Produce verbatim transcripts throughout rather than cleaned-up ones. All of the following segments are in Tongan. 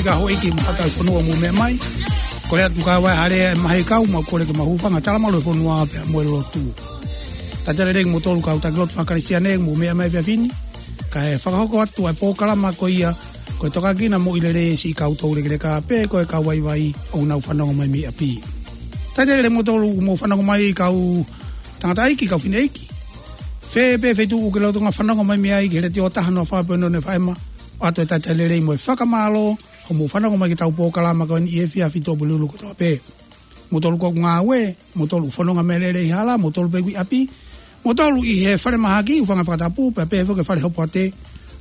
Ka houʻeiki mo e kau fonua mou meʻa mai. Kole atu ka ʻi ai ha lea ʻe mahuʻi kau, mau kole ke mau hūfanga he talamalu ʻo e fonua pea mo e lotu. Talitali lelei kimoutolu kau taki lotu faka-Kalisitiane mou meʻa mai he efiafi ni. Kae fakahoko atu ʻa e polokalama ko ia, ko e Tokanga ki he Moʻui Lelei ʻa e siʻi kau toulekeleka pea ko e kau vaivai ʻoku nau fanongo mai mei ʻapi. Talitali lelei kimoutolu mou fanongo mai kau tangataʻeiki, kau fineʻeiki. Fē pē feituʻu ʻoku ke lolotonga fanongo mai mei ai ki he letiō taha noa fā poini ono F M, ʻoatu e talitali lelei mo e fakamālō, hoʻomou fanongo mai ki heʻetau polokalama ko eni ʻi he efiafi Tuʻapulelulu kotoa pē. Moutolu ʻoku ngāue, moutolu ʻoku fononga meʻalele ʻi hala, moutolu pē ʻoku ʻi ʻapi, moutolu ʻi he falemahaki, hūfanga he fakatapu, pea pehē foki ki he fale hopoate,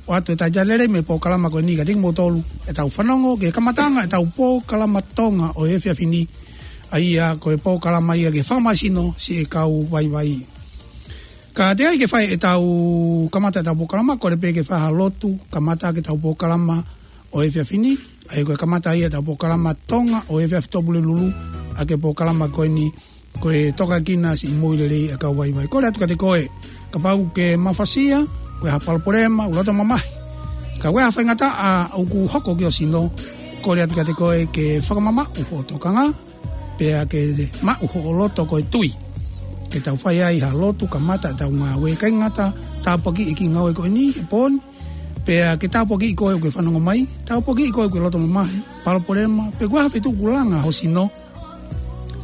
ʻoatu e talitali lelei mei he polokalama ko eni kiate kimoutolu, ʻetau fanongo ki he kamataʻanga ʻetau polokalama Tonga ʻo e efiafi ni, ʻa ia ko e polokalama ia ki he fakamālohisino siʻi kau vaivai. Ka teʻeki ai ke fai ʻetau kamata ʻetau polokalama, kole pē ke fai ha lotu kamata ki heʻetau polokalama ʻo e efiafi ni, ʻa ia ko e kamata ia ʻetau polokalama Tonga ʻo e efiafi Tuʻapulelulu, ʻa e polokalama ko eni, ko e Tokanga ki he Moʻui Lelei ʻa e kau vaivai. Kole atu kiate koe, kapau ʻoku ke mafasia, ʻoku ʻi ai ha palopalema, ʻoku loto mamahi, ka ʻoku ʻi ai ha faingataʻa ʻoku hoko ki ho sino, kole atu kiate koe ke fakamamaʻu hoʻo tokanga, pea ke maʻu hoʻo loto ko e tui. Ke tau fai ai ha lotu kamata ʻetau ngāue, ʻikai ngata tāpuakiʻi e kiʻi ngāue ko eni he pō ni, pea ke tāpuakiʻi koe ʻoku ke fanongo mai, tāpuakiʻi koe ʻoku ke loto mamahi, palopalema, pe ko e hā ha feituʻu ʻoku langa ho sino.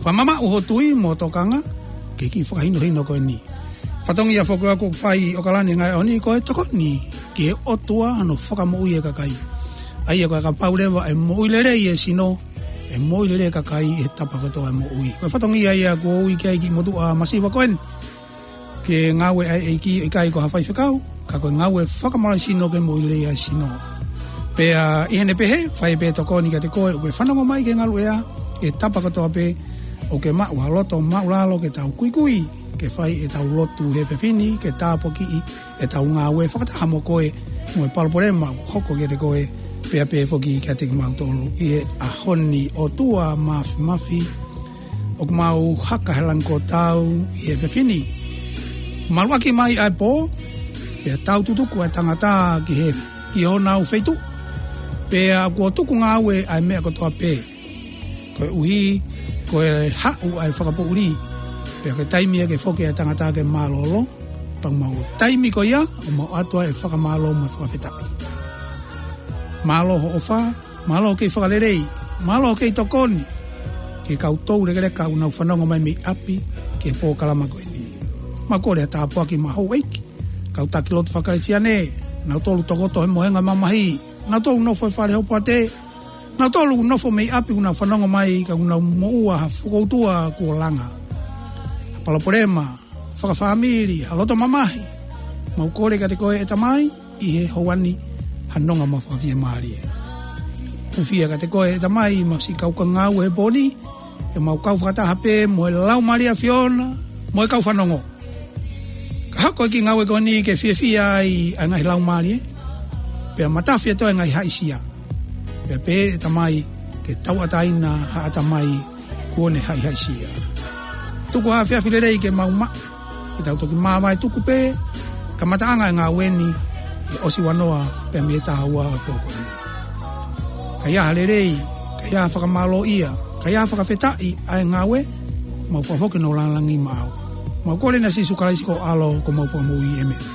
Fakamamaʻu hoʻo tui mo e tokanga ki he kiʻi fakahinohino ko eni. Fatongia foki ʻoku fai ʻi ʻAokalani he ngaahi ʻaho ni ko e tokoni ki he ʻOtua hono fakamoʻui e kakai. ʻA ia ko e kapau leva ʻe moʻui lelei e sino, ʻe moʻui lelei e kakai he tapa kotoa e moʻui. Ko e fatongia ia ʻoku ou ui ki ai e kiʻi motuʻa masiva ko eni. Ke ngāue ʻa e ʻEiki ʻikai ko ha faifekau, ka ko e ngāue fakamālohisino ke moʻui lelei ʻa e sino. Pea ʻi heʻene pehē, fai pē tokoni kiate koe ʻoku ke fanongo mai ki he ngaluʻea, he tapa kotoa pē, ʻoku ke maʻu ha loto māʻulalo ke tau kuikui ke fai ʻetau lotu he efiafi ni, ke tāpuakiʻi ʻetau ngāue fakataha mo koe, mo e palopalema ʻoku hoko kiate koe, pea pehē foki kiate kimautolu ʻi he ʻaho ni. ʻOtua Māfimafi, ʻoku mau haka he langi kuo tau ʻi he efiafi ni. Maluʻaki mai ʻa e pō, pea tau tutuku ʻa e tangata ki he, ki honau feituʻu. Pea kuo tuku ngāue ʻa e meʻa kotoa pē. Koeʻuhi, ko e haʻu ʻa e fakapoʻuli. Pea ko e taimi ia ke foki ʻa e tangata ke mālōlō, pea mau. Taimi ko ia, ʻoku mau ʻoatu ʻa e fakamālō mo e fakafetaʻi. Mālō hoʻo ʻofa, mālō hoʻo kei fakalelei, mālō hoʻo kei tokoni ki he kau toulekeleka ʻoku nau fanongo mai mei ʻapi ki he polokalama ko eni. Mau kole ha tāpuaki mei he houʻeiki, kau taki lotu faka-Kalisitiane, nautolu tokoto he mohenga mamahi, nautolu nofo he fale hopoate, nautolu nofo mei ʻapi ʻoku nau fanongo mai ka ʻoku nau moʻua ha fokoutua kuo langa, ha palopalema fakafāmili, ha loto mamahi. Mau kole kiate koe ʻe Tamai, ʻi he houa ni, ha nonga mo e fakafiemālie. Hūfia kiate koe ʻe Tamai, mau siʻi kau ka ngāue he pō ni, ke mau kau fakataha pē mo e Laumālie ʻa e ʻAfiona, mo e kau fanongo. Ka hoko e kiʻi ngāue ko eni ke fiefia ai ʻa e ngaahi laumālie, pea matafi atu ʻa e ngaahi haʻisia. Pea pehē ʻe Tamai ke tauʻatāina ha ʻatamai kuo ne haʻihaʻisia. Tuku ha efiafi lelei ke mau maʻu, ke tau toki māvae tuku pē kamataʻanga e ngāue ni, ʻi he ʻosi ua noa pea mei he taha ua ʻo e pō ko eni. Ka ʻi ai ha lelei, ka ʻi ai ha fakamālōʻia, ka ʻi ai ha fakafetaʻi ʻa e ngāue, mau fakafoki hono lāngilangi maʻau. Mau kole ʻia Sīsū Kalaisi ko ho ʻAlo ko homau Fakamoʻui, ʻēmeni.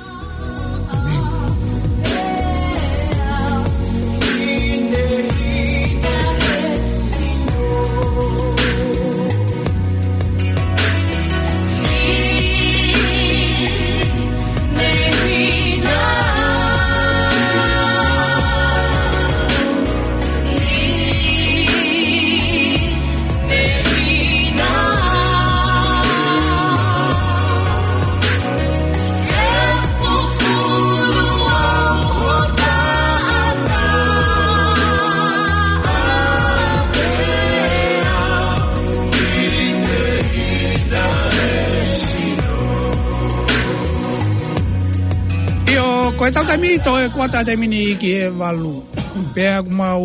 ʻIo, ko e tau taimi, toe kuata taimi ni ki he valu. Pea ʻoku mau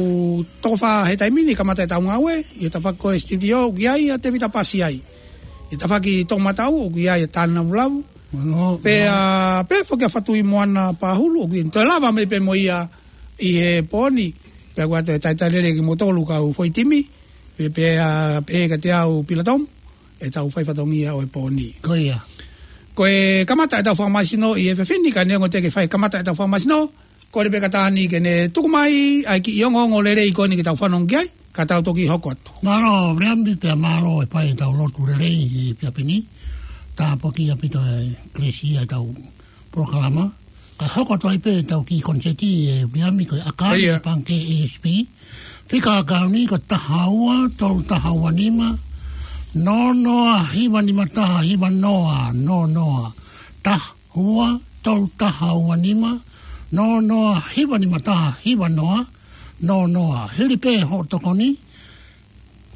toko fā he taimi ni kamata ʻetau ngāue, ʻi he tafaʻaki ko e studio, ʻoku ʻi ai ʻa Tēvita Pasi ai. ʻI he tafaʻaki toʻomataʻu, ʻoku ʻi ai ʻa Tānavulavu. Mālō. Pea, pea foki ʻa Fatuimoana Pahulu, ʻoku ʻi ai, toe lava mai pē mo ia ʻi he pō ni. Ka ko e talitali lelei kimoutolu kau foʻi timi, pea, pea, pea kiate au Pilatom, ʻetau fai fatongia ʻo e pō ni. Ko ia. Ko e kamata ʻetau fakamasino ʻi he efiafi ni, ka neongo teʻeki fai kamata ʻetau fakamasino, kole pē kia Tani ke ne tuku mai ʻa e kiʻi ongoongo lelei ko eni ke tau fanongo ki ai, ka tau toki hoko atu. Mālō, Viliami, pea mālō e fai ʻetau lotu lelei ʻi he efiafi ni. Tāpuaki ʻaupito e kelesi ʻetau polokalama. Ka hoko atu ai pē ʻetau kiʻi konisēti ʻe Viliami, ko e ʻAkali, ʻo ia, Pangikē E S P. Fika ʻakauni ko e taha ua tolu taha ua nima, noa noa hiva nima taha hiva noa, noa noa taha ua tolu taha ua nima, noa noa hiva nima taha hiva noa, noa noa. Hili pē hoʻo tokoni,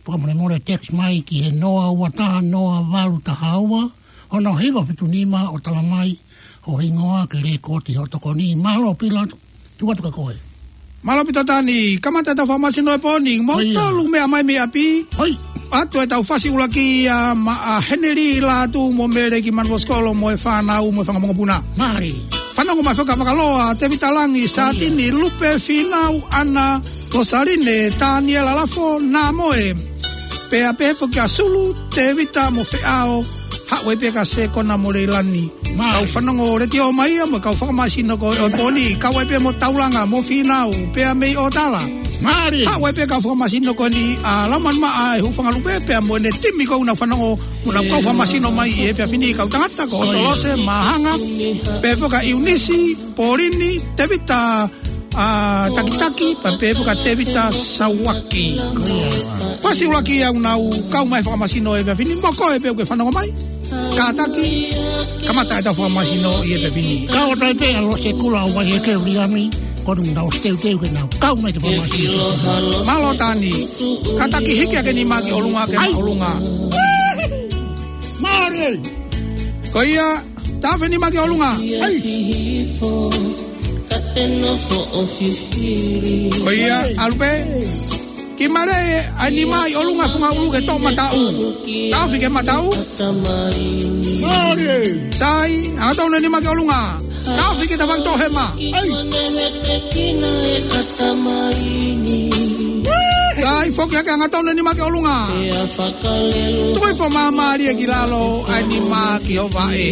fakamolemole text mai ki he noa ua taha noa valu taha ua, ono hiva fitu nima ʻo tala mai ho hingoa ke lēkooti hoʻo tokoni. Mālō Pilatom, tuku atu kia koe. Mālō ʻaupito Tani, kamata ʻetau fakamasino ʻo e pō ni, mo, ʻo ia, tolu meʻa mai mei ʻapi. Hoi. ʻOatu ʻetau fasi ʻuluaki ia maʻa Heneli Lātū mo Mele ki Manuʻa Sikolo mo e fānau mo e fanga mokopuna. Mālie. Fanongo mai foki kia Vakaloa, Tevita Langi, ʻo ia, Sātini, Lupe, Fīnau, ʻAna, Losaline, Taniela Lafo, Namoe. Pea pehē foki kia Sulu, Tevita mo Feʻao, haʻu ai pē kia Sekona mo Leilani. Mālie. Kau fanongo letiō mai ia mo e kau fakamasino ko ē ʻo e pō ni, kau ai pē mo Taulanga, mo Fīnau, pea mei ʻOtala. Mālie. Haʻu ai pē kau fakamasino ko eni ʻa Laumanu Maʻa, e Hūfanga Lupe, pea mo ʻene timi ko ē ʻoku nau fanongo, ʻoku nau kau fakamasino mai ʻi he efiafi ni, kau tangata ko, ʻoi, Otolose, Mahanga, pehē foki kia ʻIunisi, Polini, Tevita, ʻa, Takitaki, pea pehē foki kia Tevita Sauaki. Fasi ʻuluaki ia ʻoku nau kau mai fakamasino he efiafi ni, mo koe pē ʻoku ke fanongo mai. Kātaki, kamata ʻetau fakamasino ʻi he efiafi ni. Kau atu ai pē ʻa Lose Kula ʻo Vaiheke, Viliami, ko ʻenau ʻosi teuteu ke nau kau mai ke fakamasino. Mālō Tani, kātaki hiki hake e nima ki ʻolunga, ke, ai, maʻolunga. Mālie. Ko ia, taʻofi e nima ki ʻolunga. Ai. Ko ia, ʻalu pē. Kiʻi maleʻi ʻa e nima ʻi ʻolunga he funga ʻulu ke toʻo mataʻu. Taʻofi ki he mataʻu. Mālie. Sai, angatonu e nima ki ʻolunga. Taʻofi ki he tafaʻaki toʻohema. Ai. Sai, foki hake, angatonu e nima ki ʻolunga. Tuku hifo māmālie ki lalo ʻa e nima ki ho vaʻe.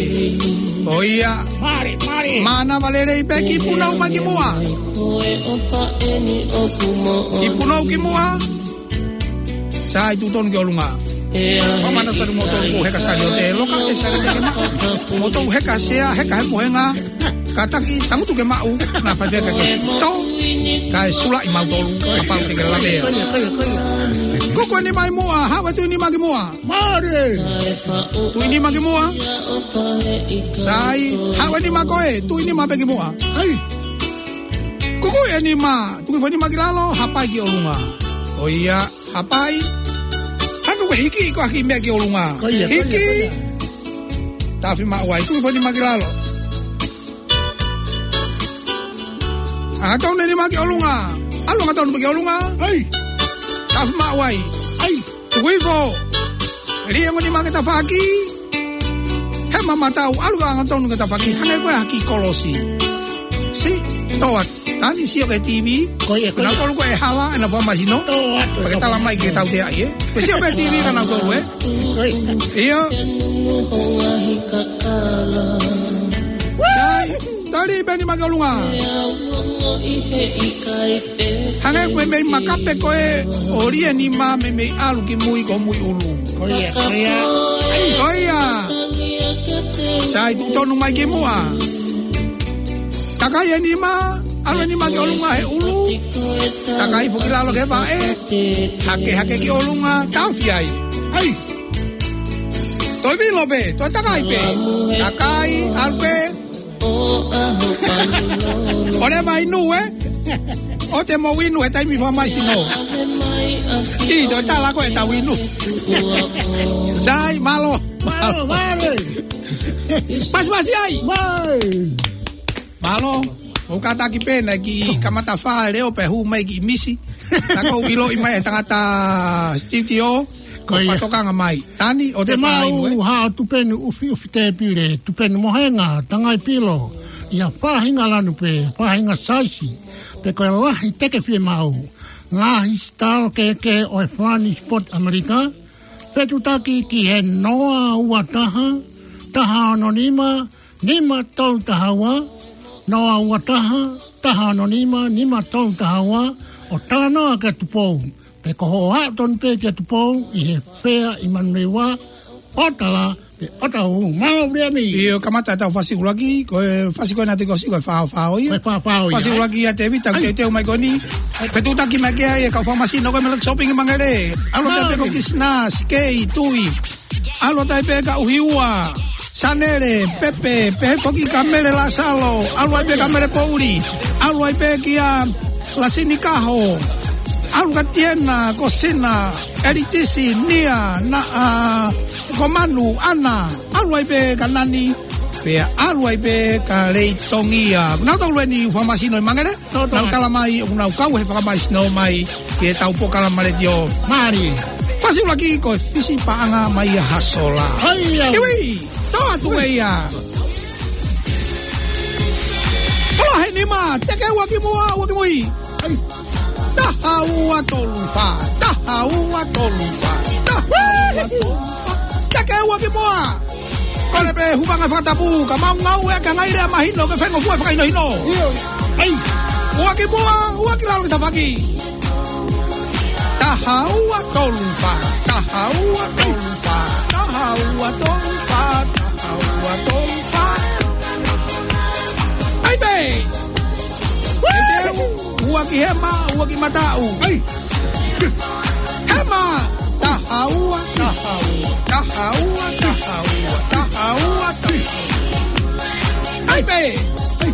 Ko ia. Mālie, mālie. Mānava lelei pē, kiʻi punou mai ki muʻa. Kiʻi punou ki muʻa. Sai, tuʻu tonu ki ʻolunga. Ko e mana tonu moutolu ʻoku heka saliote, loka e saliote ke maʻu. Moutolu heka sea, heka he mohenga. Kātaki, tangutu ke maʻu, naʻa faifeka ke sito. Kae sulaʻi mautolu, kapau te ke lavea. Kuku e nima ʻi muʻa, haʻu e tuʻi nima ki muʻa. Mālie. Tuʻi nima ki muʻa. Sai, haʻu e nima ko ē, tuʻi nima pē ki muʻa. Ai. Kuku e nima, tuku hifo e nima ki lalo, hapai ki ʻolunga. Ko ia, hapai. Hangē ʻoku ke hiki, ko e hiki meʻa ki ʻolunga. Ko ia, ko ia, hiki, ko ia. Taʻofi maʻu ai, tuku hifo e nima ki lalo. Angatonu e nima ki ʻolunga. ʻAlu angatonu pē ki ʻolunga. Ai. Taʻofi maʻu ai. Ai. Tuku hifo. Liʻengo e nima ki he tafaʻaki. Hema mataʻu, ʻalu angatonu ki he tafaʻaki. Hangē ko e haki kolosi. Sio, toʻa, Tani, sio ki he T V. Ko ia, ko ia. Nautolu ko ē hala, ʻenau fakamasino. Toʻa, toʻa. Pea ke tala mai ke tau teaʻi, ē. Ke sio ki he T V kia nautolu, ē. Ko ia. ʻIo. Sai, tali pē e nima ki ʻolunga. Hangē ko e meimei makape ko ē, ʻo lie e nima meimei ʻalu ki mui ko mui ʻulu. Ko ia, ko ia. Ko ia. Sai, tuʻu tonu mai ki muʻa. Takai e nima, ʻalu e nima ki ʻolunga he ʻulu. Takai foki lalo ki he vaʻe. Hake, hake ki ʻolunga, taʻofi ai. Ai. Toe vilo pē, toe takai pē. Takai, ʻalu pē. ʻOleva inu, ē? ʻOua te mou inu he taimi fakamasino. ʻI, toe tala ko ē tau inu. Sai, mālō. Mālō, mālō. Pasi, pasi ai. Mai. Mālō. ʻOku kātaki pē naʻe kiʻi kamata fā e leʻo pea hū mai kiʻi misi. Naʻa ku ʻiloʻi mai e tangata studio. Ko ia. Fakatokanga mai. Tani, ʻoua te mau fāinu, ē? Haʻu tupenu ʻufiʻufi tēpile, tupenu mohenga, tangai pilo, ʻi ha faʻahinga lanu pē, faʻahinga saisi, pe ko e lahi teke fiemaʻu. Ngaahi sitalo kehekehe ʻo e Fāni Sport ʻAmelika, fetutaki ki he noa ua taha, taha ono nima, nima tolu taha ua, noa ua taha, taha ono nima, nima tolu taha ua, ʻo talanoa kia Tupou. Pe ko hoʻo aʻu tonu pē kia Tupou ʻi he Fea ʻi Manurewa, ʻo tala, pe ʻo tau, mālō Viliami. ʻIo, kamata ʻetau fasi ʻuluaki, ko e fasi ko ē naʻe toki ʻosi ko e faofao ia. Ko e faofao ia, Fasi ʻuluaki ia Tēvita, ʻai. Teuteu mai ko eni. Fetutaki mai ki ai e kau fakamasino ko ē mei Lucky Shopping ʻi Mangere. ʻAlu atu ai pē ko Mālō. Kisina, Sikei, Tui. ʻAlu atu ai pē kia ʻUhiua, Sanele, Pepe, pehē foki kia Mele Lasalo. ʻAlu ai pē kia Mele Pouli. ʻAlu ai pē kia Lasini Kaho. ʻAlu kia Tiena, Kosina, Elitisi, Nia, na, ʻa, ko Manu, ʻAna. ʻAlu ai pē kia Nani. Pea ʻalu ai pē kia Leitongia. Naʻa tau lue ni fakamasino ʻi Mangere. Tau tala mai, ʻoku nau kau he fakamasino mai ki heʻetau polokalama letiō. Mālie. Fasi ʻuluaki ko e Fisi Paʻanga mai ʻa Hasola. ʻAi, au. Iwi, tō atu ē ia. Kolohe nima, teke ua ki muʻa, ua ki mui. ʻAi. Taha ua tolu fā, taha ua tolu fā, taha ua tolu fā. Teke ua ki muʻa. Kole pē hūfanga he fakatapu, ka mau ngāue ʻaki e ngaahi lea mahino ke faingofua e fakahinohino. ʻIo. ʻAi. Ua ki muʻa, ua ki lalo ki tafaʻaki. Taha ua tolu fā, taha ua tolu fā, taha ua tolu fā, taha ua tolu fā. ʻAi pē. Teuteu, ua ki hema, ua ki mataʻu. ʻAi. Hema, taha ua, taha ua, taha ua, taha ua, taha ua, taha ua. ʻAi pē. ʻAi.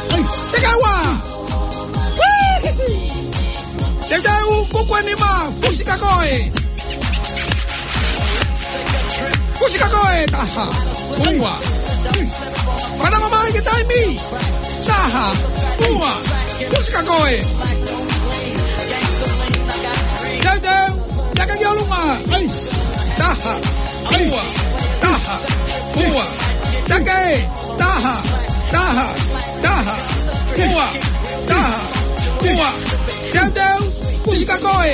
ʻAi. Teke ua. Teuteu, kuku ʻe nima, fusi kia koe. Fusi kia koe, taha, ua. Fanongo mai ki he taimi. Taha, ua. Fusi kia koe. Teuteu, teke ki ʻolunga. Taha, ua, taha, ua. Teke, taha, taha, taha, ua, taha, ua. Teuteu, fusi kia koe.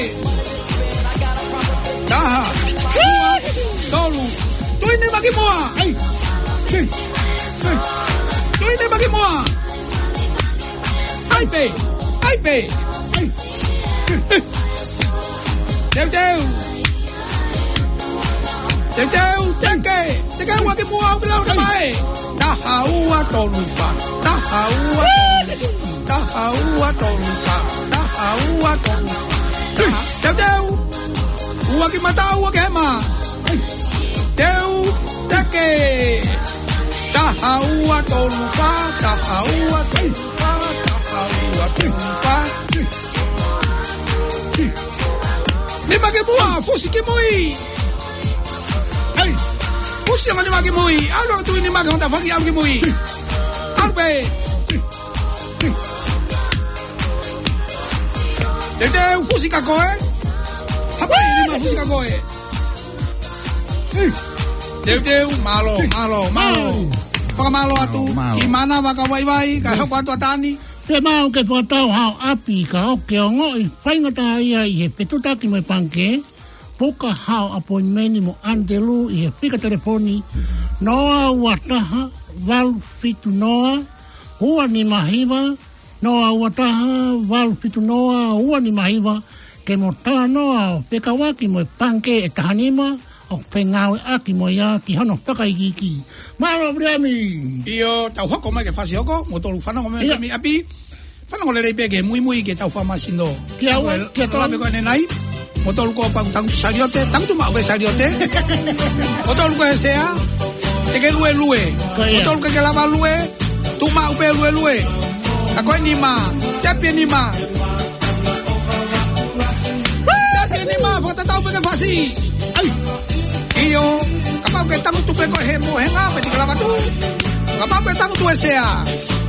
Taha, ua, tolu. Tui nima ki muʻa. ʻAi. Tui nima ki muʻa. ʻAi pē. ʻAi pē. ʻAi. Teuteu. Teuteu, teke. Teke ua ki muʻa, ʻo ki lalo ki he ʻai. Taha ua tolu fā. Taha ua tolu fā. Taha ua tolu fā. Taha ua tolu fā. Taha. Teuteu. Ua ki mataʻu, ua ki hema. Teu, teke. Taha ua tolu fā. Taha ua tolu fā. Taha ua tolu fā. Nima ki muʻa, fusi ki mui. ʻAi. Fusi ʻa e nima ki mui. ʻAlu atu e nima ki he tafaʻaki, ʻalu ki mui. ʻAlu pē. Teuteu, fusi kia koe. Hapai nima, fusi kia koe. Teuteu, mālō, mālō, mālō. Fakamālō atu. Mālō. ʻI mānava ka vaivai, ka hoko atu ʻa Tani. Te mau ke fakatau hao ʻapi ka ʻoku ke ongoʻi faingataʻaʻia ʻi he fetutaki mo e pangikē, puka hao ʻapoinimeni mo ʻAnitelū ʻi he fika telefoni noa ua taha, valu fitu noa, ua nima hiva, noa ua taha, valu fitu noa, ua nima hiva, ke mo talanoa ʻo fekauʻaki mo e pangikē ʻe taha nima, ʻoku fengāueʻaki mo ia ki hono fakaikiiki. Mālō Viliami. ʻIo, tau hoko mai ki he fasi hoko, mou tolu fanongo mai ʻIo. Kami ʻapi. Fanongo lelei pē ki he muimui ki heʻetau fakamasino. Kia ua, kia tolu. Lave ko eni nai. Mou tolu kuo pau tangutu saliote, tangutu maʻu pē saliote. Mou tolu kuo he sea, te ke luelue. Ko ia. Mou tolu ke ke lava lue, tuʻu maʻu pē luelue. Ka ko e nima, tepi e nima. Tepi e nima, fakatatau pē ki he fasi. ʻAi. ʻIo, kapau ke tangutu pē koe he mohenga, pea te ke lava tuʻu. Kapau ke tangutu he sea.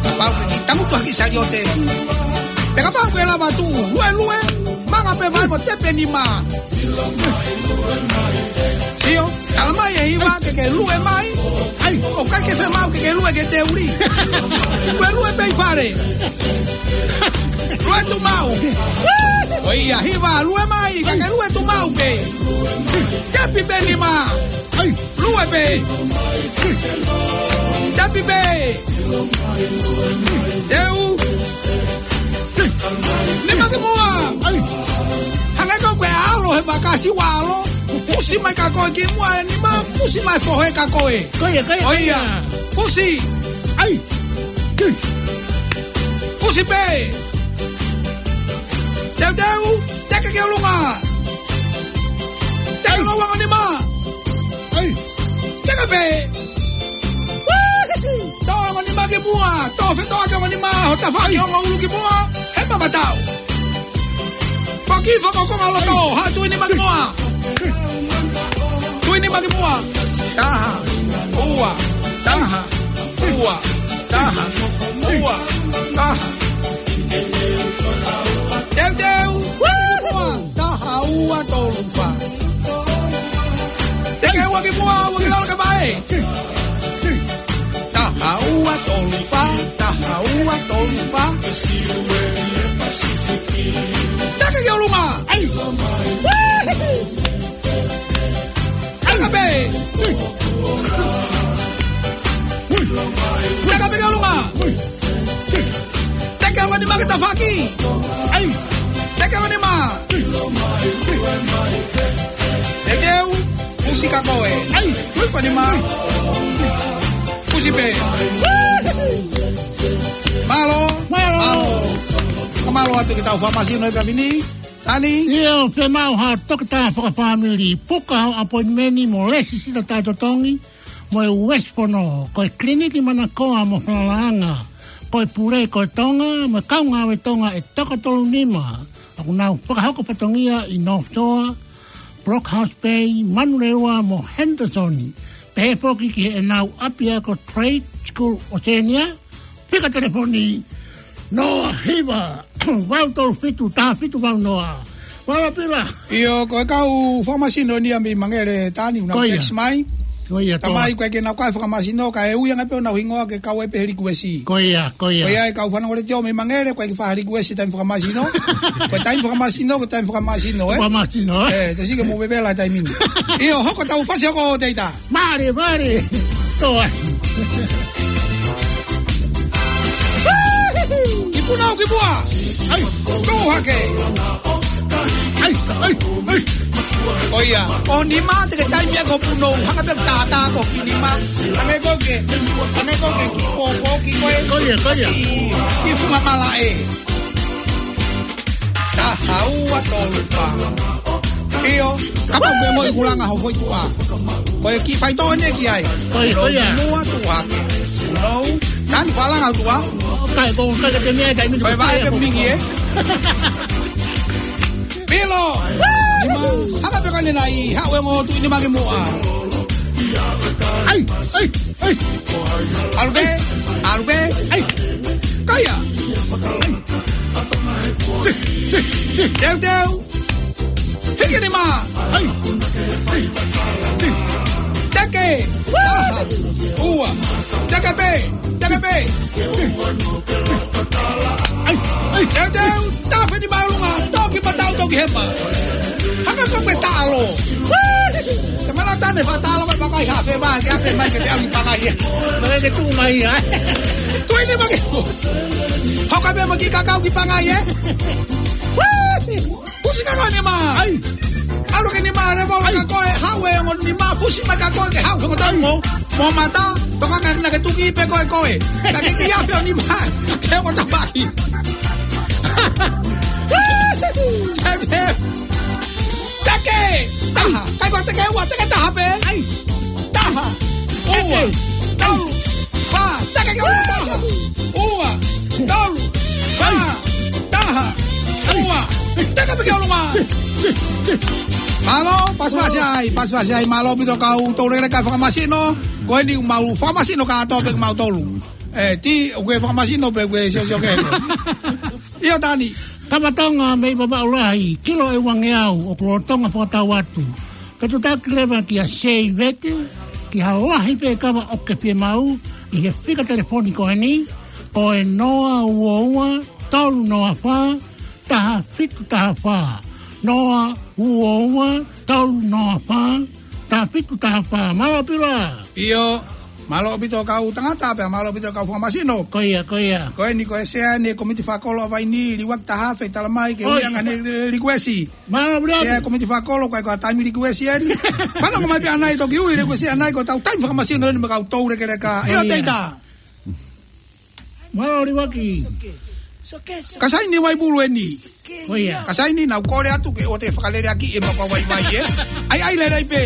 Kapau ke kiʻi tangutu hake saliote. Pea kapau ke lava tuʻu, luelue, manga pē mai mo tepi e nima. Sio, tala mai e hiva ke ke lue mai. ʻAi. ʻOku ʻikai ke fiemaʻu ke ke lue ke te uli. Luelue pē ʻi Fale. Lue tumau. ʻOia, hiva, lue mai, ka ke lue tumau pē. Tepi pē nima. Ai. Lue pē. Tepi pē. Teu. Nima ki muʻa. Ai. Hangē ko e ʻalo he makasi ua ʻalo. Pusi mai ka koe ki muʻa e nima, pusi mai fohe ka koe. Ko ia, ko ia, ko ia. ʻOia. Pusi. Ai. Pusi pē. Teuteu, teke ki ʻolunga. Teke ai. Lou ongo nima. Ai. Teke pē. Tō ongo nima ki muʻa. Tō fetoʻaki ongo nima. Ho tafaʻaki ai. Ongo ʻulu ki muʻa. He mamatau. Faki fakakonga loto, ha tui nima ki muʻa. Tui nima ki muʻa. Taha, ua, taha, ua, taha, ua, taha. Teuteu, ua ki muʻa. Taha, ua, tolu, fā. Teke ua ki muʻa, ua ki lalo ka mai. Taha ua tolu fā, taha ua tolu fā. Taka ki ʻolunga. Ai. Taka pē. Taka pē ki ʻolunga. Teke ongo nima ki tafaʻaki. Ai. Teke ongo nima. Teke u. Pusi ka koe. Ai. Tui pa nima. Pusi pē. Mālō. Mālō. Mālō. Ka mālō atu ki tau fakamasino he pēpē ni. Tani. ʻIo, fiemaʻu ha toketā fakafāmili. Puka ho appointment mo lēsisita taʻetotongi mo e West Pono. Ko e kiliniki manakoa mo falalaʻanga. Ko e pule ko e Tonga mo e kau ngāue Tonga ʻe toko tolu nima. ʻOku nau fakahoko fatongia ʻi North Shore, Brockhouse Bay, Manurewa mo Henderson. Pehē foki ki heʻenau ʻapiako Trade School Oceania. Fika telefoni noa hiva valu tolu fitu taha fitu valu noa. Vala pila. ʻIo, ko e kau fakamasino eni ia mei Mangere, Tani, ʻoku nau text mai. Ko ia, ko ia. Tamai ko e ke nau kai fakamasino, ka e ui ange pē ʻenau hingoa ke kau ai pē he likuesi. Ko ia, ko ia. Ko ia e kau fanongo letiō mei Mangere, ko e ke fai likuesi taimi fakamasino. Ko e taimi fakamasino, ko e taimi fakamasino, ē? Fakamasino, ē? Ē, te sike mo vevela taimi ni. ʻIo, hoko tau fasi hoko ʻo teita. Mālie, mālie. Tō ai. Ki punau ki muʻa. Ai. Tō hake. Ai, ai, ai. Ko ia. Ko nima te ke taimi ʻa ko punau. Haka pē tātā ko ki nima. Hangē ko ke. Hangē ko ke ki pōpō ki koe. Ko ia, ko ia. Ki, ki funga malaʻe. Taha ua tolu fā. ʻIo, kapau ʻoku ke moʻi kulanga ho foʻi tuʻa. Ko e kiʻi faitoʻo eni ki ai. Ko ia, ko ia. Lou muʻa tuʻa. Lou, Tani falanga tuʻa. ʻOkai, ko e ʻikai ke te mea kai mini. Ko e vaʻe pē mingi, ē? Pilo. Nima, haka pē ka ne nai, haʻu e ongo tuʻi nima ki muʻa. Ai, ai, ai. ʻAlu pē, ʻalu pē. Ai. Kaia. Ai. Teuteu. Hiki nima. Ai. Ai. Teke. Taha. Ua. Teke pē. Teke pē. Ai. Ai. Teuteu. Tafe nima ʻolunga. Toki patau, toki hema. Haka ko pe talo. Te mana tane fa talo mai pakai hafe mai, ke hafe mai ke te ʻalu ki pangai ē. Mai ke tuʻu mai, ē. Tuʻi nima ki. Hoko pē mo e kiʻi kakau ki pangai ē. Fusi ka koe nima. Ai. ʻAlu ki nima, ne mo ai. Ka koe, haʻu e ongo nima, fusi mai ka koe, ke haʻu, ke ongo tau mo, mo mata, toka ka na ke tuki pē koe koe. Ka ke kiʻi afe ʻo nima, ke ongo tafaʻaki. Teke. Teke. Taha. Kai koe teke ua, teke taha pē. Ai. Taha. Ua. Teke. Tolu. Fā. Teke ki ʻolunga taha. Ua. Tolu. Fā. Taha. Ua. Teke pē ki ʻolunga. Mālō, pasipasi ai, pasipasi ai, mālō ʻaupito kau tau lele kai fakamasino, ko eni mau fakamasino kātoa pē mau tolu. Ē, ti, ʻoku ke fakamasino pē, ʻoku ke siosio ke. ʻIo Tani. Kava Tonga mei Vavaʻu Lahi, kilo ʻe uangeau, ʻoku lolotonga fakatau atu. Ke tutaki leva kia Sei Vete, ki ha lahi pē kava ʻoku ke fiemaʻu, ʻi he fika telefoni ko eni, ʻo e noa ua ua tolu noa fā, taha fitu taha fā. Noa ua ua tolu noa fā, taha fitu taha fā. Mālō Pila. ʻIo, mālō ʻaupito kau tangata pea mālō ʻaupito kau fakamasino. Ko ia, ko ia. Ko eni ko e sea ʻeni e komiti fakakolo ʻa Vainī, Liuaki Tahafe, talamai ke ʻOi. ui ange ʻene li-, likuesi. Mālō Pila. Sea komiti fakakolo, ko e ko e taimi likuesi ʻeni. Fanongo mai pē ʻanai toki ui likuesi ʻanai ko e tau taimi fakamasino ʻeni mo e kau toulekeleka. ʻIo, ʻIo. Teita. Mālō Liuaki. Ka saini Vaipulu ʻeni. Ko ia. Ka saini, naʻá ku kole atu ke ʻoua te fakaleleakiʻi e mapa vaivai ē. ʻAi, ʻai lelei pē.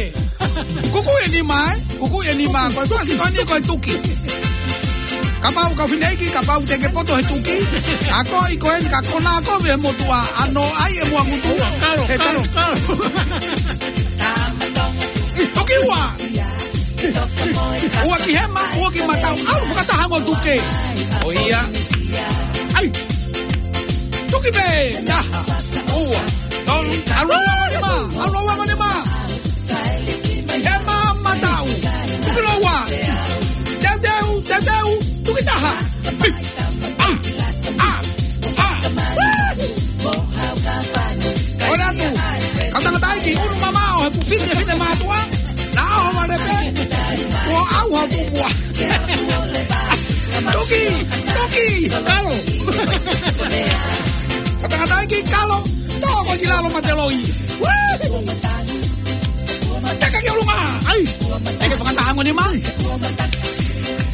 Kuku e nima ē. Kuku e nima. Ko e fasi ko eni ko e tuki. Kapau kau fineʻeiki, kapau te ke poto he tuki. Ako i ko eni ka kona ako ve motuʻa. ʻAno ʻai e mua ngutu. Kalo, He kalo, tai- kalo. Tuki ua. Ua ki hema, ua ki mataʻu, ʻalu fakataha mo tuke. ʻO ia. ʻAi. Tuki pē, taha, ua, tolu, ʻalu ua mo nima, ʻalu ua mo nima. Hema, mataʻu, tuki lōua. Teuteu, teuteu, tuki taha. ʻA, ʻa, ʻa. ʻOi atu. Kau tangataʻeiki, unu mamaʻo he kuo fiti e finemātuʻa. Naʻa ʻoho vale pē. Kuo ʻauha tupu ua. Tuki, tuki. Kalo. Kau tangataʻeiki, kalo. Tō ko ki lalo mate loi. Teka ki ʻolunga. ʻAi. Teke fakataha mo nima.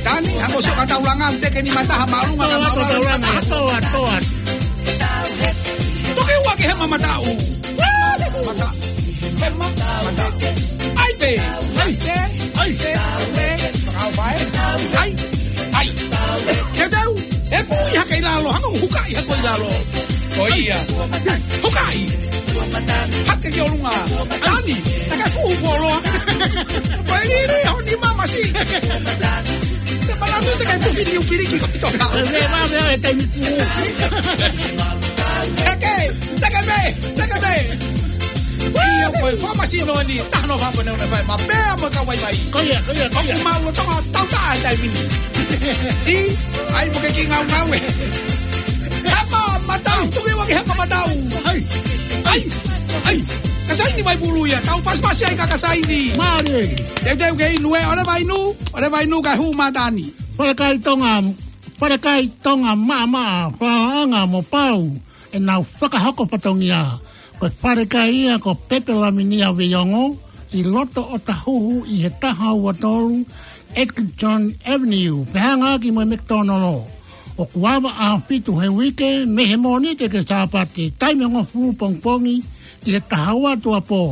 Tani, hako sio ka taulanga, teke nima taha māʻolunga, Toa, toa, toa, toa. Toki ua ki hema mataʻu. Mata. Hema mataʻu. ʻAi pē. ʻAi pē. ʻAi pē. ʻAi. ʻAi. Teuteu. E pui hake ʻi lalo, hanga hukaʻi hake ʻi lalo. ʻO ia. Hukaʻi. Hake ki ʻolunga. Tani, taka fuhu poloa. Ko e lili ho nima masi. Te palatu te kai tufi ni upiliki ko i toka. Te ve va ve e taimi pū. Eke, teke ve, teke ve. Ia ko e fakamasino ʻeni, taha noa fā pē ne fai, mapea mo e kau vaivai. Ko ia, ko ia, ko ia. ʻOku mau lolotonga tauta e taimi ni. ʻI, ʻai mo ke ki ngaungaue. Hema mataʻu, tuki ua ki hema mataʻu. ʻAi, ʻai, ʻai. Ka saini Vaipulu ia, tau pasipasi ai ka ka saini. Mālie. Teuteu ke inu ē, ʻo leva inu, ʻo leva inu ka hū matani. Falekai Tonga, Falekai Tonga maʻamaʻa, fakaʻanga mo pau ʻenau fakahoko fatongia. Ko e falekai ia ko Pepe Laminia Veiongo, ʻi loto ʻo Tahuhu ʻi he taha ua tolu Eglinton Avenue, fehangaaki mo e McDonald. ʻOku ava ʻaho fitu he uike, mei he Mōnite ki he Sāpate, taimi hongofulu pongipongi ki he taha ua tuʻuapō.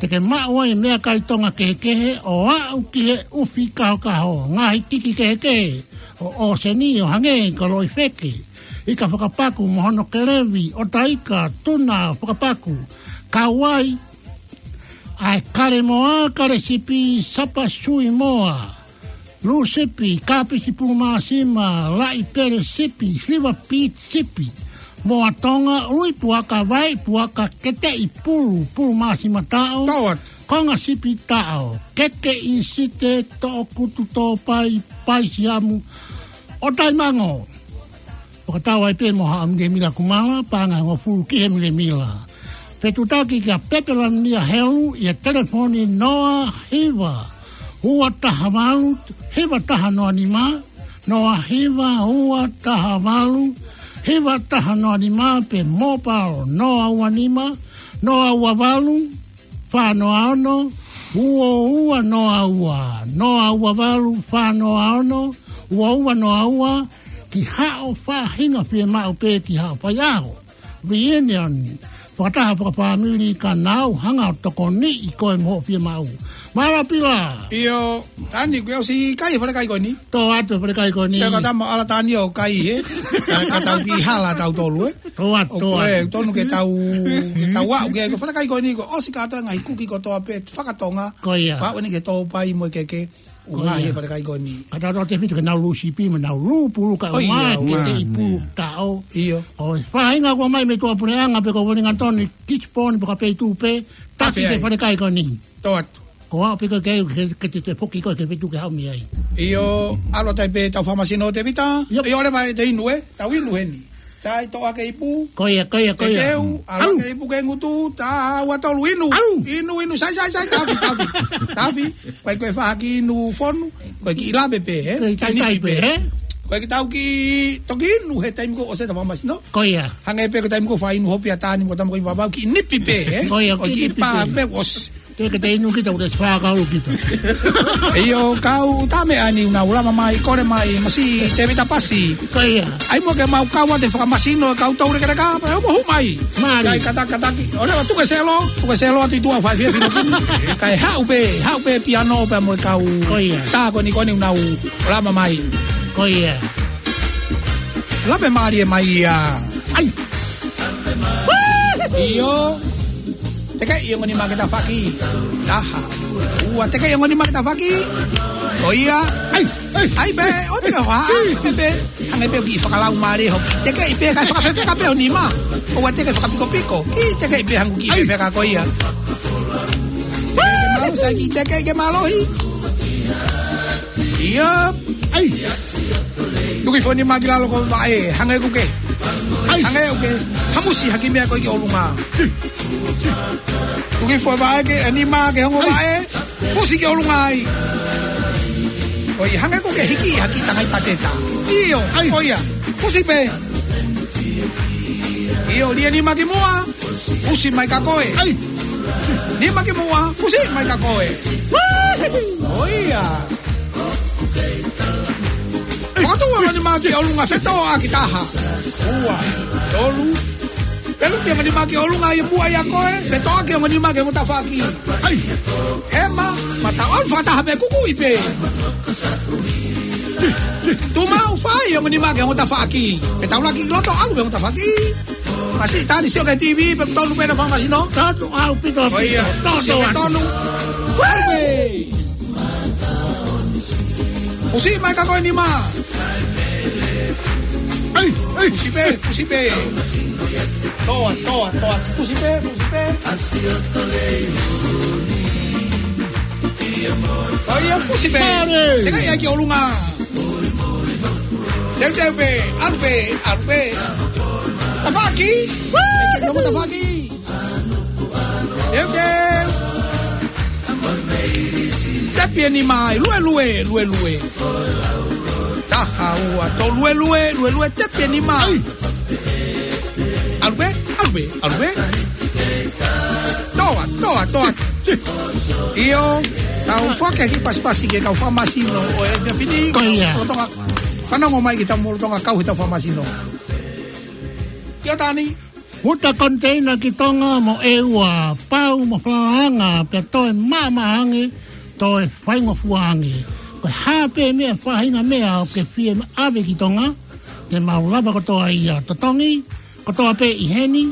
Te ke maʻu ai meʻakai Tonga kehekehe ʻo aʻu ki he ʻufi kahokaho, ngaahi tiki kehekehe ʻo ʻōseni ʻo hangē ko e loʻi feke, ika fakapaku mo hono kelevi, ʻota ika, tuna fakapaku, kauai, ʻa e kale moa, kale sipi, sapa sui moa, lū sipi, kāpisi pulu māsima, laʻi pele sipi, siliva piti sipi, moa Tonga, ului puaka, vai puaka, keteʻi pulu, pulu māsima taʻo, Tau atu. konga sipi taʻo, kekeʻi site, toʻokutu tōpai, paisiamu, ʻo taimango. Fakatau ai pē mo haʻa milemila kumala, paʻanga ʻe hongofulu ki he milemila. Fetuʻutaki kia Pepe Laminia Helu ʻi he telefoni noa hiva ua taha valu hiva taha noa nima, noa hiva ua taha valu hiva taha noa nima, pe mobile noa ua nima, noa ua valu, fā noa ono, ua ua noa ua, noa ua valu, fā noa ono, ua ua noa ua, ki haʻo faʻahinga fiemaʻu pe ki haʻo faiʻaho. Reunion, fakataha fakafāmili ka nau hanga ʻo tokoniʻi koe mo hoʻo fiemaʻu. Mālō Pila. ʻIo, Tani, kuo ʻosi kai falekai ko eni. Tō atu falekai ko eni. Sio ka tama ala Tani ʻo kai, he? Ka, ka tau ki hala tautolu, ē? Tō atu, tō atu. ʻOku tonu ke tau, ke tau aʻu ke, ko falekai ko eni ko ʻosi kātoa e ngaahi kuki kotoa pē fakatonga. Ko ia. Pau eni ke tōpai mo e keke. Ko ia. Ngaahi falekai ko eni. Ka tau tō te fitu ke nau lū sipi, mo nau lū pulu ka Ko ia, ua, ke te ua, i pulu ia. taʻo. ʻIo. Ko e faʻahinga kua mai mei tuʻapuleʻanga pe ko Uelingatoni, Kisiponi, pe ko Peitu pē, taki Afe ke ai. falekai ko eni. Tō atu. Ko au pe ko ke, ke, ke te, te foki ko ke fitu ke haumi ai. ʻIo, ʻalu atu ai pē tau fakamasino Tēvita. Yep. ʻIo, ʻalu mai te inu, ē? Tau inu heni. Sai, toʻo hake ipu. Ko ia, ko ia, ko ia. Te teu, ʻalu hake ipu ke ngutu, tā, ua, tolu, inu. Inu, inu, sai, sai, sai, tafi, tafi. Tafi, ko e, ko e fai ki inu fonu, ko e kiʻi lave pē, ē? Ko e kiʻi nipi pē, ē? Ko e kiʻi tau kiʻi toki inu he taimi kuo ʻosi ʻeta fakamasino. Ko ia. Hangē pē ko e taimi kuo fai inu hopi ʻa Tani mo Tama ko i vavau kiʻi nipi pē, ē? Ko ia, kiʻi nipi pē. Ko e kiʻi nipi pē, ʻosi. Te ke te inu kita, ʻoku te fākau kita. ʻIo, kau tā meʻa ni ʻoku nau lava mai, kole mai, masiʻi Tēvita Pasi. Ko ia. ʻAi muʻa ke mau kau atu he fakamasino, kau tau lekeleka, pea mo hū mai. Mālie. Sai, kata, kataki. ʻOua, tuku e selo, tuku e selo atu ʻi tuʻa fai fia fino kini. Kae haʻu pē, haʻu pē piano pea mo e kau. Ko ia. Tā ko eni ko eni ʻoku nau lava mai. Ko ia. Lave mālie mai ia. ʻAi. ʻIo. Tekeʻi ongo nima ki tafaʻaki. Taha. Ua, tekeʻi ongo nima ki tafaʻaki. Ko ia. ʻAi, ʻai. ʻAi pē, ʻoua te ke hoa. ʻAi. Hangē pē, hangē pē kiʻi fakalaumālie hoʻo. Tekeʻi pē, kae fakafefeka pē ho nima. ʻOua te ke fakapikopiko. Kiʻi tekeʻi pē hangē kiʻi fefeka ko ia. Ke mālō, sai kiʻi tekeʻi ke mālohi. ʻIo. ʻAi. Tuki foʻi nima ki lalo ko vaʻe, hangē ʻoku ke. ʻAi. Hangē ʻoku ke hamusi ha kiʻi meʻa ko ē ki ʻolunga. Tuki foʻi vaʻe ke, e nima ke ongo vaʻe. Pusi ki ʻolunga ai. ʻOi, hangē ʻoku ke hiki ha kiʻi tangai pateta. ʻIo, ʻai. ʻOia. Pusi pē. ʻIo, lia nima ki muʻa. Pusi mai kia koe. ʻAi. Nima ki muʻa, pusi mai kia koe. ʻOia. Fakatuʻu ongo nima ki ʻolunga, fetōʻaki taha. Ua, tolu. Pelu ki ongo nima ki ʻolunga ʻi muʻa ʻia koe, fetōʻaki ongo nima ki ongo tafaʻaki. ʻAi. Hema, mata on fakataha pē kukuʻi pē. Tuʻu maʻu fai ongo nima ki ongo tafaʻaki. Fetaulaki ʻi loto ʻalu ki ongo tafaʻaki. Masiʻi Tani sio ki he TV, pe ʻoku tonu pē ʻena fakamasino. Tonu ʻaupito, ʻaupito. ʻOia, tonu, sio ki he tonu. ʻAlu pē. Pusi mai kia koe nima. ʻAi, ʻai. Pusi pē, pusi pē. Toa, toa, toa. Pusi pē, pusi pē. ʻOia, pusi pē. Mālie. Tekeʻi ai ki ʻolunga. Teuteu pē, ʻalu pē, ʻalu pē. Tafaʻaki. Woo! Tekeʻi ki ongo tafaʻaki. Teuteu. Tepi e nima ai, luelue, luelue. Taha, ua, tolu, luelue, luelue, tepi e nima. ʻAi. ʻAlu pē, ʻalu pē, ʻalu pē. Toa, toa, toa. ʻIo, tau foaki e kiʻi pasipasi ki he kau fakamasino ʻo e efiafi ni. Ko ia. Lolotonga, fanongo mai ki heʻetau lolotonga kau heʻetau fakamasino. ʻIo Tani. Uta koniteina ki Tonga mo ʻEua, pau mo falaanga, pea toe maʻamaʻa ange, toe faingofua ange. Ko e hā pē meʻa, faʻahinga meʻa ʻoku ke fie ʻave ki Tonga, te mau lava kotoa ia. Totongi kotoa pē ʻi heni,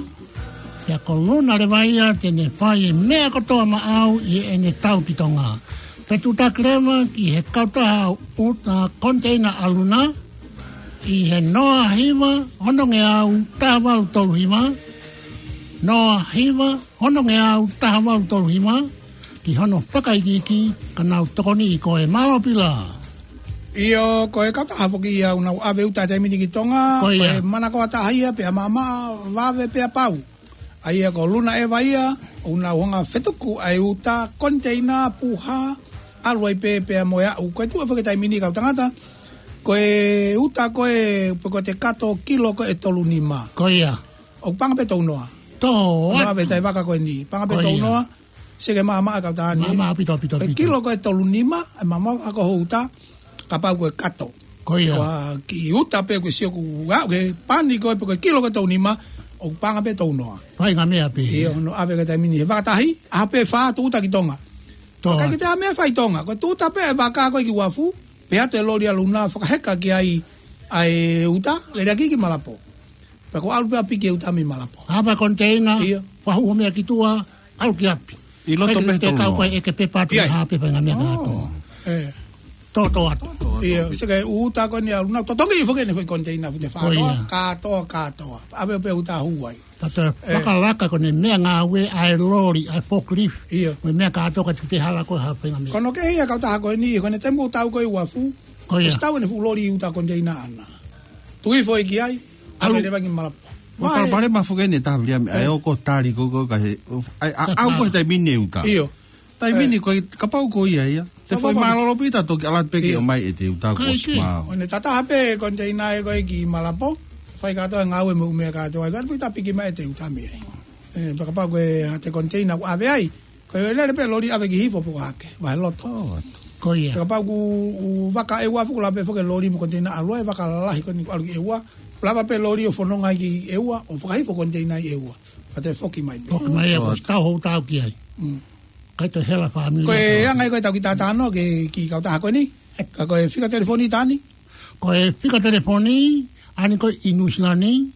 pea ko Luna leva ia te ne fai e meʻa kotoa maʻau ʻi heʻene tau ki Tonga. Fetuʻutaki leva ki he kautaha uta koniteina ʻa Luna, ʻi he noa hiva ono ngeau taha valu tolu hiva, noa hiva ono ngeau taha valu tolu hiva, ki hono fakaikiiki ka nau tokoniʻi koe. Mālō Pila. ʻIo, ko e kautaha foki ia ʻoku nau ʻave uta he taimi ni ki Tonga, ko ia. Ko e manakoa taha ia pea maʻamaʻa, vave pea pau. ʻA ia ko Luna Eva ia, ʻoku nau hanga ʻo fetuku ʻa e uta koniteina puha, ʻalu ai pē pea mo e aʻu. Ko e tuʻu foki he taimi ni kau tangata, ko e uta ko ē, pe ko e kato kilo ko ē ʻe tolu nima. Ko ia. ʻOku paʻanga pē tounoa. Tō, ʻoku nau ʻave he taʻi vaka ko eni. Paʻanga pē tounoa. Seke maʻamaʻa kau tangata ni. Maʻamaʻa ʻaupito, ʻaupito, ʻaupito. Ko e kilo ko ē ʻe tolu nima, ʻe maʻamaʻa ko ho uta, kapau ko e kato. Ko ia. Ko e kiʻi uta pē ko e sio kuo aʻu ki he pani ko ē pe ko e kilo ko ē ʻe tolu nima, ʻoku paʻanga pē tounoa. Faʻahinga meʻa pē. ʻIo, ʻoku nau ʻave he taimi ni he vaka tahi, ʻaho pē fā tuʻu uta ki Tonga. Tō. Ka ʻikai ke toe ʻai meʻa fai Tonga, ko e tuʻu uta pē ʻa e vaka ko ē ki uafu, pehē atu e loli ʻa Luna fakaheka ki ai ʻa e uta, lele ʻaki ki Malapo. Pea ko e ʻalu pē ʻo piki e uta mei Malapo. Hapa koniteina, ʻio. Fakahū hoʻo meʻa ki tuʻa, ʻalu ki ʻapi. ʻI loto pē he tolu noa. Ko e ʻeke pē patu, ʻio. Hā pē faʻahinga meʻa kātoa. ʻE. Tō, tō atu. ʻIo, seke uta ko eni ʻa Luna, totongi foki ʻene foʻi koniteina fute fā noa, kātoa, kātoa. ʻAve pē uta hū ai. Tata, ʻe, fakalaka ko ʻene meʻangāue ʻa e loli, ʻa e forklift. ʻIo. Mo e meʻa kātoa ka te hala ko ha fenga meʻa. Ko hono kehe ia kautaha ko eni, ko ʻene temu tau ko e uafu. Ko ia. ʻOsi tau ʻene fuʻu loli uta konteina ʻana. Tui foʻi ki ai, ʻalu. ʻAve leva ki Malapo. ʻO Vae. Kalo pale ma fuke ne taha Viliami, ʻe, ʻe ʻo ko tali ko ko ka he, ʻa, ʻa, ʻa, ʻa, ko he taimi ni uta. ʻIo. Taimi ni ko e kapau ko ia ia. Te foʻi mālōlō pē ʻeta toki ʻalu atu pē ke ʻomai ʻete uta ko ʻosi maau. ʻO ne tataha pē konteina ē ko ē ki Malapo. Fai kātoa e ngāue mo e meʻa kātoa. Ka pita piki mai ʻete uta mei ai. ʻE, pea kapau ko e hā ʻete konteina ʻoku ʻave ai. Ko e lele pē loli ʻave ki hifo pe ko hake. Vahe loto. Ko ia. Pea kapau ʻoku, ʻoku vaka ʻe ua fuku la pē foki loli mo konteina ʻalu ai vaka lalahi ko eni ʻalu ki ʻEua. Lava pē loli ʻo fononga ai ki ʻEua, ʻo fakahifo konteina ʻi ʻEua. Pea te foki mai pē. Foki mai ʻe, ʻosi tau hou tau ki ai. Mm. Kai toe hela fāmili. Ko e anga ia ko e tau ki tātano ke ki kautaha ko eni. Ka ko e fika telefoni Tani. Ko e fika telefoni, ʻa eni ko e ʻi Nuʻusila ni,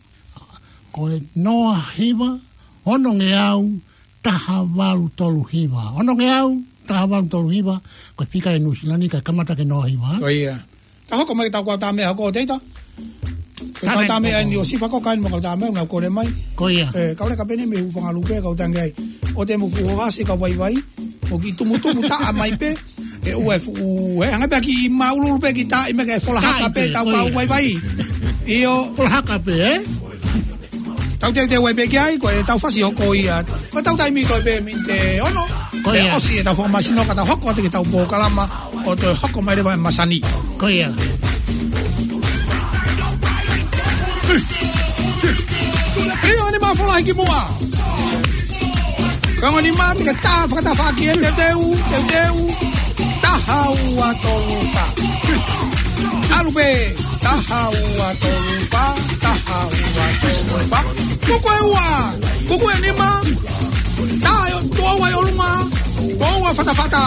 ko e noa hiva, ono ngeau, taha valu tolu hiva. Ono ngeau, taha valu tolu hiva, ko e fika ʻi Nuʻusila ni, ka kamata ke noa hiva. Ko ia. Tau hoko mai ke tau kau tā meʻa hoko ʻo teita. Ko e kau tā meʻa eni ʻo Sifa ko kain mo kau tā meʻa, ngau kole mai. Ko ia. ʻE, kau leka pē eni mei Hufangalupe, kau tange ai. ʻO te mo fuho hasi kau vaivai. ʻO ki tumutumu taʻa mai pē. ʻE ua e fuʻu, ʻe, hanga pē ki maululu pē ki taʻi mai ke fola haka pē, tau kau vaivai. ʻIo. Fola haka pē, ē? Tau teuteu ai pē ki ai, ko e tau fasi hoko ia. Ko e tau taimi ko e pē miniti ono. Ko ia. ʻOsi e tau fakamasino ka tau hoko atu ke tau pōkalama ʻo toe hoko mai leva e masani. Ko ia. ʻIo, ʻe nima fola hiki muʻa. Ko e ongo nima te ke tā fakatafaʻaki e teuteu, teuteu. Taha ua tolu fā. ʻAlu pē. Taha ua tolu fā, taha ua tolu fā. Kuku ʻe ua, kuku ʻe nima. Tā ʻe ua ʻi ʻolunga, ua ua fatafata.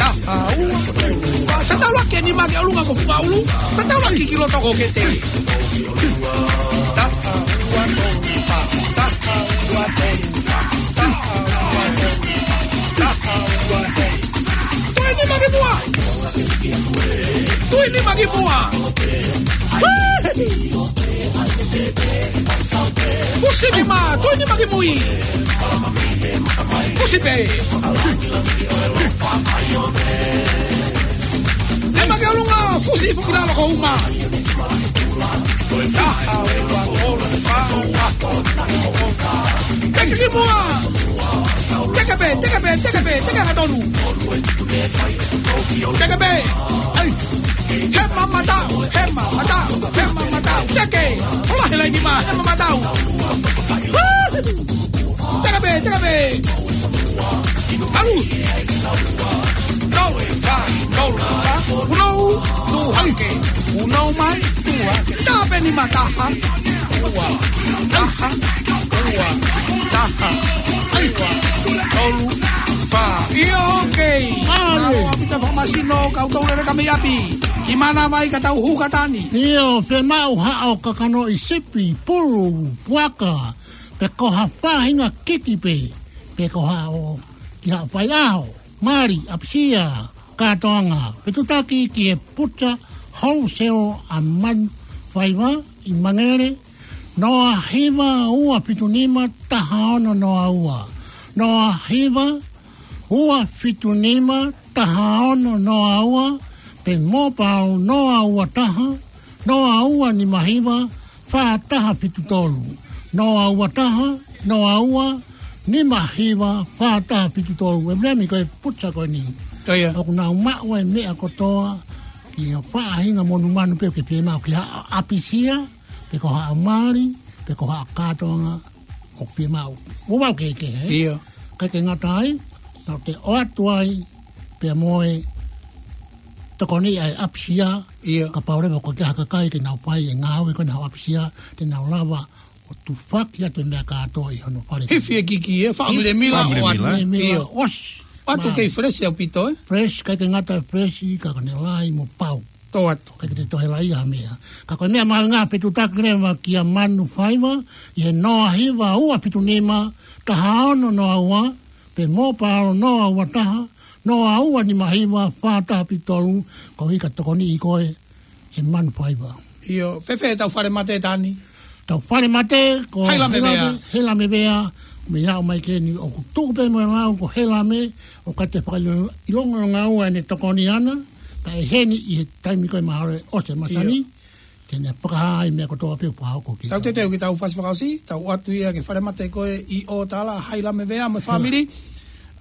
Taha ua tolu fā. Fetaulaki ʻe nima ki ʻolunga ko fukaulu. Fetaulaki ki loto ko kete. Taha ua tolu fā, taha ua tolu fā, taha ua tolu fā, taha ua tolu fā. Tui nima ki muʻa. Tui nima ki muʻa. Fusi nima, tui nima ki mui. Fusi pē. Nima ki ʻolunga, fusi foki lalo ko uma. Taha ua tolu fā, taha ua tolu fā. Teke ki muʻa. Teke pē, teke pē, teke pē, teke angatonu. Teke pē. ʻAi. Hema mataʻu, hema mataʻu, hema mataʻu. Teke. Hola he laini mā, hema mataʻu. Teke pē, teke pē. ʻAlu. Nau, ka, nau, ka. Unou, tu hake. Unou mai, tu hake. Taha pē nima taha. Ua, taha, ua, taha, ua, tolu, fā. ʻIo, okei. ʻAle. Nau ʻapita fakamasino, kau tau lele ka mei ʻapi. Ki mana mai ka tau hū ka Tani. ʻIo, fiemaʻu haʻo kakano ʻi sipi, pulu, puaka, pe ko ha faʻahinga kiki pē, pe ko haʻo, ki haʻo faiʻaho. Mali, ʻapisia, kātoanga, fetuʻutaki ki he Puta Wholesale ʻa Manu Faiva ʻi Mangere, noa hiva ua fitu nima taha ono noa ua. Noa hiva ua fitu nima taha ono noa ua, pe mobile noa ua taha, noa ua nima hiva, fā taha fitu tolu. Noa ua taha, noa ua, nima hiva, fā taha fitu tolu. ʻE Viliami ko e puta ko eni. Ko ia. ʻOku nau maʻu e meʻa kotoa, ki ha faʻahinga monumanu pē ke fiemaʻu ki ha ʻapisia, pe ko ha mali, pe ko ha kātoanga ʻoku fiemaʻu. ʻO vau ke ke, ē? ʻIo. Kae ke ngata ai, tau te ʻoatu ai, pea mo e tokoni ʻa e ʻapisia, ʻIo. Kapau leva ko e hā e kakai ke nau fai e ngāue ko ena ʻapisia, te nau lava ʻo tufaki atu e meʻa kātoa ʻi hono fale. Hifo e kiki, ē, faʻa milemila, Faʻa milemila, ʻoatu. ʻIo. ʻOsi. ʻOatu kei fresh ʻaupito, ē? Fresh, kae ke ngata fresh, ka ko ʻene lahi mo pau. Tō atu. Kae ke toe lahi ha meʻa. Ka ko e meʻa mahuʻinga fetuʻutaki leva kia Manu Faiva, ʻi he noa hiva ua fitu nima, taha ono noa ua, pe mobile noa ua taha, noa ua nima hiva, fā taha fitu tolu, ko e hā e tokoni ʻi koe, ʻe Manu Faiva. ʻIo, fēfē ʻetau fale mate Tani? Tau fale mate, ko Hailame Vea. Hailame Vea, mei he ʻomai ke ni ʻoku tuʻu pē mo e lau ko Hailame, ʻoku ʻikai te fakaʻilonga ʻene tokoni ʻana, pea ʻe heni ʻi he taimi ko ē mahalo ʻosi e masani, ʻio, ke ne fakahā ʻa e meʻa kotoa pē ʻoku hoko ki ai. Tau teuteu ki heʻetau fasi fakaʻosi, tau ʻoatu ia ki he fale mate ko ē ʻi ʻOtala, Hailame Vea mo e fāmili.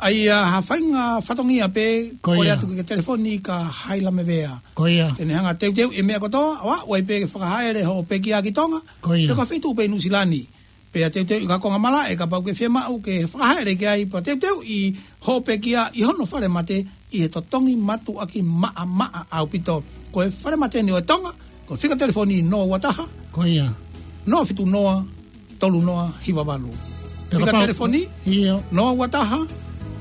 ʻA ia ha faʻahinga fatongia pē, ko ia, kole atu ke ke telefoni kia Hailame Vea. Ko ia. Te ne hanga ʻo teuteuʻi e meʻa kotoa, ʻo aʻu ai pē ke fakahaʻele hoʻo pekia ki Tonga. Ko ia. Pe ko ha feituʻu pē ʻi Nuʻusila ni. Pea teuteuʻi ha konga malaʻe kapau ʻoku ke fiemaʻu ke fakahaʻele ki ai, pea teuteuʻi hoʻo pekia ʻi hono fale mate ʻi he totongi mātuʻaki maʻamaʻa ʻaupito. Ko e fale mate ni ʻo e Tonga, ko e fika telefoni noa ua taha. Ko ia. Noa fitu noa, tolu noa hiva valu. Pea fika kapau telefoni, ʻio, noa ua taha,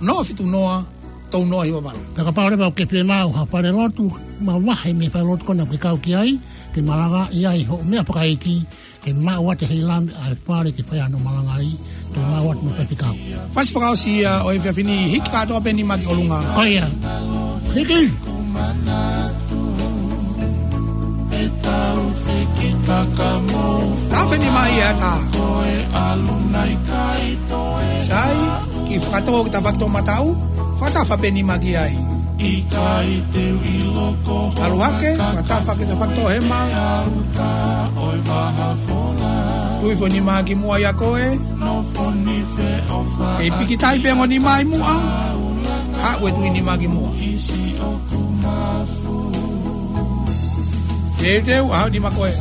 noa fitu noa, tolu noa hiva valu. Pea kapau leva ʻoku ke fiemaʻu ha falelotu, mavahe mei he falelotu ko ena ʻoku ke kau ki ai, ke malanga ʻi ai hoʻo meʻa fakaʻeiki, ke maʻu atu ʻe Hailame ʻa e fale ke fai ai hono malanga ai, ke maʻu atu mo e faifekau. Fasi fakaʻosi ia ʻo e efiafi ni, hiki kātoa pē nima ki ʻolunga. Ko ia. Hiki. Tau feni mai ʻa e tā. Sai, kiʻi fakatō ki he tafaʻaki toʻomataʻu, fakatafa pē nima ki ai. ʻAlu hake, fakatafa ki he tafaʻaki toʻohema. Tui hifo nima ki muʻa ʻia koe. Kei pikitai pē ongo nima ʻi muʻa. Haʻu e tui nima ki muʻa. Teuteu, haʻu nima koe.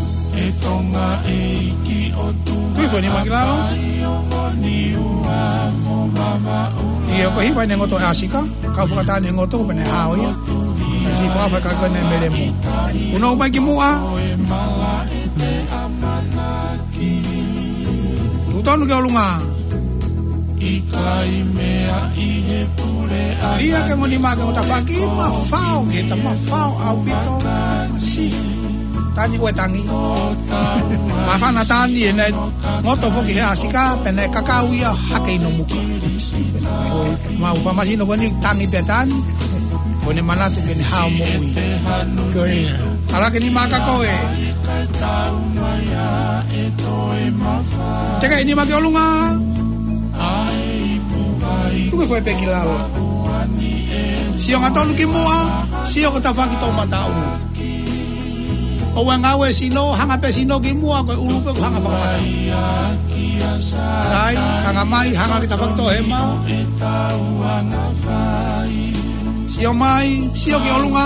Tui hifo nima ki lalo. ʻIo, ko e hiva ʻene ngoto ʻa e ʻāsika. Kau fakataha ʻene ngoto, pea ne hao ia. Naʻe siʻi fakaʻafa ka ko ʻene melemo. Punou mai ki muʻa. Tuʻu tonu ki ʻolunga. ʻIkai meʻa ʻi he pule ʻa ia ke ongo nima ki he ongo tafaʻaki, mafao ke ta mafao ʻaupito. Masi. Tani ue tangi. Mafana tani ʻene ngoto foki he ʻāsika, pea ne kakau ia hake ʻi hono muka. Mau famasino ko eni tangi pē tani. Ko ʻene manatu ke ne hao moʻui. Ko ia. ʻAlu hake nima kia koe. Teke nima ki ʻolunga. Tuku hifo e pē ki lalo. Sio angatonu ki muʻa. Sio ki he tafaʻaki toʻomataʻu. ʻOua ʻe ngāue sino, hanga pē sino ki muʻa, ko e ʻulu pē ʻoku hanga fakamataʻu. Sai, hanga mai, hanga ki he tafaʻaki toʻohema. Sio mai, sio ki ʻolunga.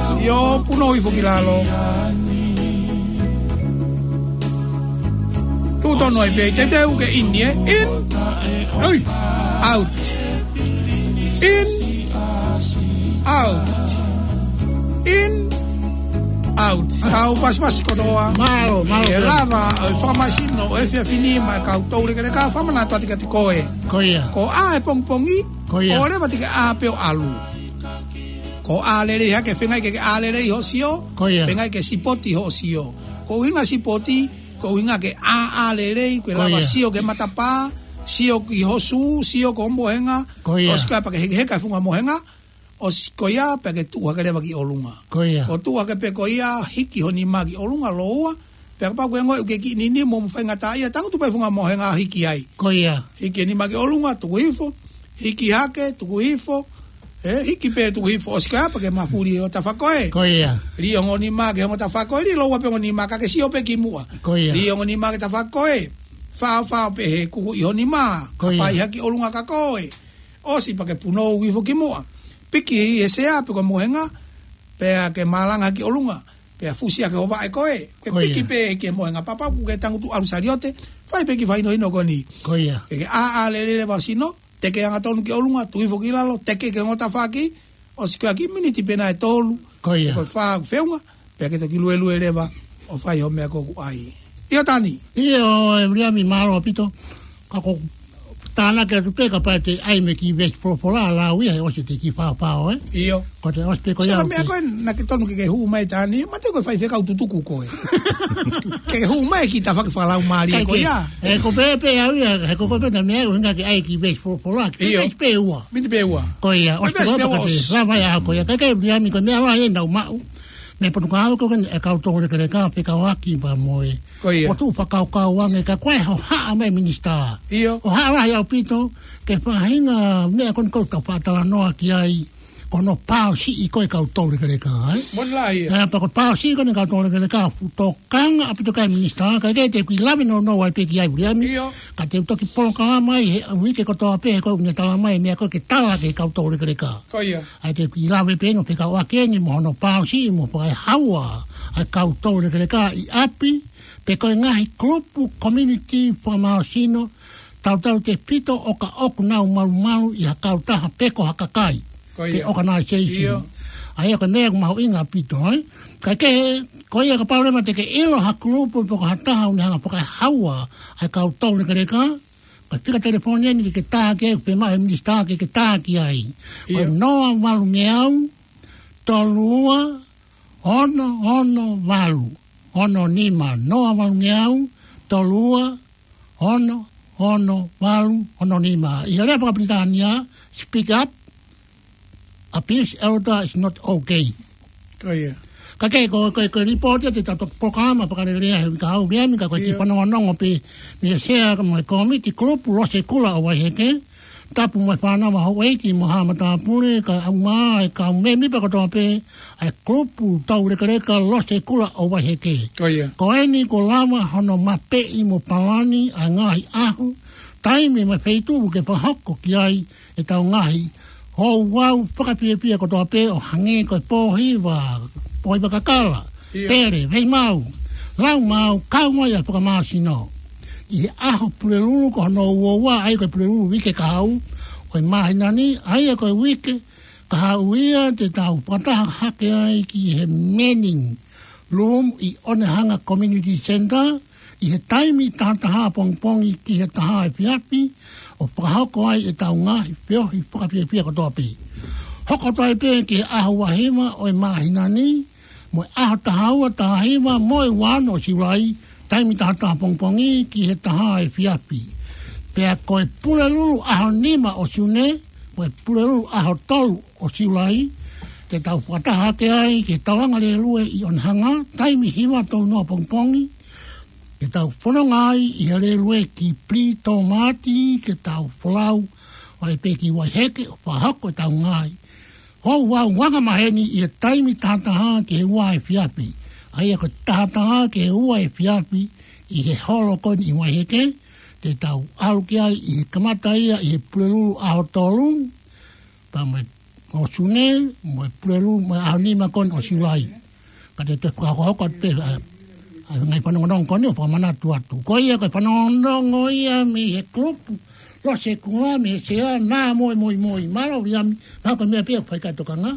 Sio punou hifo ki lalo. Tuʻu tonu ai pē, teuteu ke in, ē? In. Oi. Out. In. Out. In. Out. Tau pasipasi kotoa. Mālō, mālō. ʻE lava ʻo fakamasino ʻo e efiafi ni maʻa e kau toulekeleka, fakamanatu atu kiate koe. Ko ia. Ko e ʻā e pongipongi, ko ia, ʻoua leva te ke ʻā pē ʻo ʻalu. Ko e ʻā lelei hake, feinga ke ke ʻā lelei hoʻo sio. Ko ia. Feinga ke sipoti hoʻo sio. Ko e ʻuhinga sipoti, ko e ʻuhinga ke ʻāʻā lelei, ke lava, ko ia, sio ki he matapā, sio ki ho sū, sio ki ho mohenga. Ko ia. ʻOsi ko ia pea ke hekeheka e funga mohenga, ʻosi ko ia pea ke tuʻu hake leva ki ʻolunga. Ko ia. Ko e tuʻu hake pē ko ia, hiki ho nima ki ʻolunga, lōua, pea kapau ʻoku ke ongoʻi ʻoku ke kiʻi nini mo faingataʻaʻia, tangutu pē funga mohenga hiki ai. Ko ia. Hiki e nima ki ʻolunga, tuku hifo, hiki hake, tuku hifo, ē, hiki pē tuku hifo, ʻosi ko ia pea ke mafuli ho tafaʻaki ko ē. Ko ia. Liʻi ongo nima ki hongo tafaʻaki ko ē, liʻi lōua pē ongo nima ka ke sio pē ki muʻa. Ko ia. Liʻi ongo nima ki he tafaʻaki ko ē. Faofao pē he kuku ʻi ho nima. Ko ia. Hapai hake ki ʻolunga kia koe. ʻOsi pea ke punou hifo ki muʻa. Piki he sea pe ko e mohenga, pea ke malanga ki ʻolunga. Pea fusi hake ho vaʻe ko ē. Ke, ko ia, piki pē ki he mohenga, pea kapau ʻoku ke tangutu ʻalu saliote, fai pē kiʻi fakahinohino ko eni. Ko ia. Ke, ke ʻāʻā lelei leva ho sino, teke angatonu ki ʻolunga, tuku hifo ki lalo, teke ki hongo tafaʻaki, ʻosi ko ia kiʻi miniti pē nai ʻe tolu, ko ia, pe ko e fā ʻoku feʻunga, pea ke toki luelue leva ʻo fai ho meʻa ko ē ʻoku ʻai. ʻIo Tani. ʻIo, ē Viliami, mālō ʻaupito. Ka ko e tānaki atu pē kapau te ʻai mei he kiʻi veesi folofola, lau ia, he ʻosi e kiʻi faofao, ē? ʻIo. Ko e ʻosi pē ko ia. Sio ki he meʻa ko ē naʻa ke tonu ke ke hū mai Tani, ma te ko e faifekau tutuku koe. Ke hū mai ki he tafaʻaki fakalaumālie ko ia. Ē, ko e pehē pē au ia, he ko e pehē pē ʻa e meʻa, ʻuhinga ke ʻai e kiʻi veesi folofola, kiʻi, ʻio, veesi pē ua. Miniti pē ua. Ko ia, ko e ʻosi veesi pē ua, pea ʻosi. Lava ia ko ia, kae kehe Viliami ko e meʻa lahi ʻeni naʻa ku maʻu. Mei Potukau ko eni e kau toulekeleka fekauʻaki pea mo e. Ko ia. ʻOku tuʻu fakakaukau ange ka ko e hohaʻa mai minisitā. ʻIo. Hohaʻa lahi ʻaupito, ke faʻahinga meʻa ko eni ʻoku tau faʻa talanoa ki ai, ko hono pāosiʻi ko ē e kau toulekeleka, ē? Moʻoni lahi ia. Ē, pea ko e pāosiʻi ko eni e kau toulekeleka, fuʻu tokanga ʻaupito ki ai minisitā, kae kehe te u kiʻi lave nounou ai pē ki ai Viliami. ʻIo. Ka te u toki polokalama ai he uike kotoa pē he ko ē ʻoku ne tala mai e meʻa ko ē ke tala ki he kau toulekeleka. Ko ia. ʻA ia te u kiʻi lave pē eni ʻo fekauʻaki eni mo hono pāosiʻi mo fakaehaua ʻa e kau toulekeleka ʻi ʻapi, pe ko e ngaahi kulupu community fakamālohisino, tautautefito ʻo ka ʻoku nau malumalu ʻi ha kautaha pe ko ha kakai. Ko ia. Pe organization. ʻIo. ʻA ia ko e meʻa ʻoku mahuʻinga ʻaupito, ē? Kae kehe, ko ia kapau leva te ke ʻilo ha kulupu pe ko ha taha ʻoku ne hanga ʻo fakaehaua ʻa e kau toulekeleka, ko e fika telefoni eni ke ke tā ki ai, ʻoku pehē mai ʻe he minisitā ke ke tā ki ai. Ko e ʻIo. noa valu ngeau, tolu ua, ono ono valu, ono nima, noa valu ngeau, tolu ua, ono ono valu, ono nima. ʻI he lea fakapilitānia, speak up, abuse elder is not okay. Ko ia. Kae kehe ko, ko, ko e lipooti ia te tau toki polokalama fakalelei he uike kahaʻu Viliami, ka ko e kiʻi ʻIo. fanongonongo pē mei he sea mo e kōmiti kulupu Losekula ʻo Vaiheke, tapu mo e fānau ʻa houʻeiki mo haʻa matāpule, kae ʻumaʻā e kau mēmipa kotoa pē ʻa e kulupu toulekeleka Losekula ʻo Vaiheke. Ko ia. Ko eni kuo lava hono mapeʻi mo palani ʻa e ngaahi ʻaho, taimi mo e feituʻu ke fakahoko ki ai ʻetau ngaahi ouau fakafiefia kotoa pē ʻo hangē ko e pōhiva, pōhiva kakala, ʻIo. pele, veimau, laumau, kau mai ʻa e fakamālohisino. ʻI he ʻaho Pulelulu ko hono uaua, ʻa ia ko e Pulelulu uike kahaʻu ʻo e māhina ni, ʻa ia ko e uike kahaʻu ia te tau fakataha hake ai ki he Manning Room ʻi Onehunga Community Centre, ʻi he taimi taha taha pongipongi ki he taha efiafi, ʻo fakahoko ai ʻetau ngaahi feohi fakafiefia kotoa pē. Hoko atu ai pē ki he ʻaho ua hiva ʻo e māhina ni, mo e ʻaho taha ua, taha hiva, mo e ua ono ʻo Siulai, taimi taha taha pongipongi ki he taha efiafi. Pea ko e Pulelulu ʻaho nima ʻo Siune, mo e Pulelulu ʻaho tolu ʻo Siulai, te tau fakataha hake ai ki he tauʻanga lēlue ʻi Onehunga, taimi hiva tolu noa pongipongi, ke tau fononga ai ʻi he lēlue ki Pilitomati, ke tau folau ai pē ki Vaiheke, ʻo fakahoko ʻetau ngaahi ouau angamaheni ʻi he taimi taha taha ki he ua efiafi. ʻA ia ko e taha taha ki he ua efiafi ʻi he holo ko eni ʻi Vaiheke, te tau ʻalu ki ai ʻi he kamata ia ʻi he Pulelulu ʻaho tolu, pea mo e ʻo Siune, mo e Pulelulu, mo e ʻaho nima ko eni ʻo Siulai. Ka te u toe fakahokohoko atu pē, ʻa, ʻa e ngaahi fanongonongo ko eni ʻo fakamanatu atu. Ko ia ko e fanongonongo ia mei he kulupu Losekula, mei he sea, naʻa mo e moimoi. Mālō Viliami, mahalo ko e meʻa pē ʻoku fai ki ai e tokanga.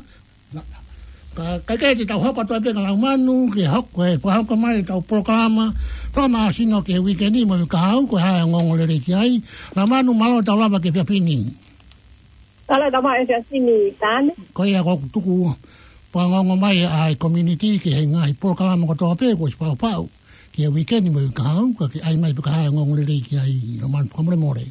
Ka, kae kehe te tau hoko atu ai pē kia Laumanu, ke hoko, ʻe fakahoko mai ʻetau polokalama fakamālohisino ki he uike ni mo e uike kahaʻu, ko e hā e ongoongolelei ki ai. Laumanu, mālō e tau lava ki he efiafi ni. Mālō e tau maʻu e efiafi ni, Tane. Ko ia ʻoku tuku ua. Pea ongoongo mai ʻa e community ki he ngaahi polokalama kotoa pē kuo ʻosi paupau ki he uike ni mo e uike kahaʻu, ka ke ʻai mai pē ka hā e ongoongolelei ki ai, Laumanu, fakamolemole.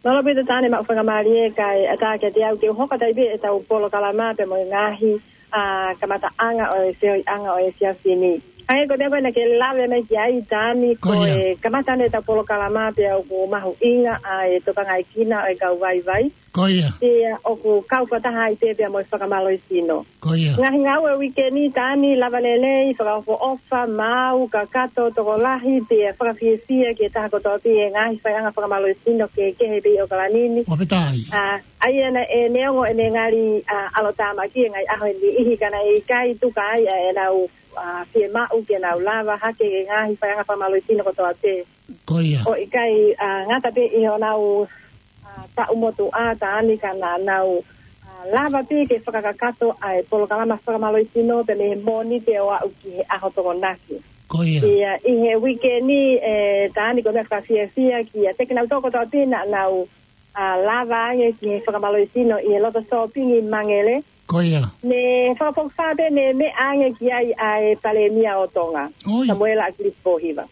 Mālō ʻaupito Tane, maʻu faingamālie kae ʻatā kiate au ke u hoko atu ai pē ʻetau polokalama pea mo e ngaahi, ʻa, kamataʻanga ʻo e feohiʻanga ʻo e efiafi ni. ʻA ia ko e meʻa ko ē naʻa ke lave mai ki ai Tane, ko ʻIo. e kamata eni ʻetau polokalama pea ʻoku mahuʻinga ʻa e tokangaekina ʻo e kau vaivai. Ko ia. Pea ʻoku kau fakataha ai pē pea mo e fakamālohisino. Ko ia. Ngaahi ngāue uike ni Tane, lava lelei, fakaʻofoʻofa, maau, kakato, tokolahi, pea fakafiefia ki he taha kotoa pē ʻi he ngaahi faiʻanga fakamālohisino kehekehe pē ʻi ʻOkalani ni. Ua pē tai. ʻA, ʻa ia naʻe neongo ʻene ngali, ʻa, ʻalotāmaki e ngaahi ʻaho ʻe niʻihi ka naʻe ʻikai tuku ai ʻa ʻenau, ʻa, fiemaʻu ke nau lava hake ki he ngaahi faiʻanga fakamālohisino kotoa pē. Ko ia. ʻO ʻikai, ʻa, ngata pē ʻi honau, ʻa, taʻu motuʻa Tane ka naʻa nau, ʻa, lava pē ke fakakakato ʻa e polokalama fakamālohisino pea mei he Mōnite ʻo aʻu ki he ʻaho Tokonaki. Ko ia. Pea ʻi he uike ni, ʻe, Tane, ko e meʻa fakafiefia kiate kinautolu kotoa pē naʻa nau, ʻa, lava ange ki he fakamālohisino ʻi he loto sōpingi Mangele. Ko ia. Ne fakafokifā pē ne meʻa ange ki ai ʻa e Palēmia ʻo Tonga. ʻOi. Samuela ʻAkilisi Pōhiva.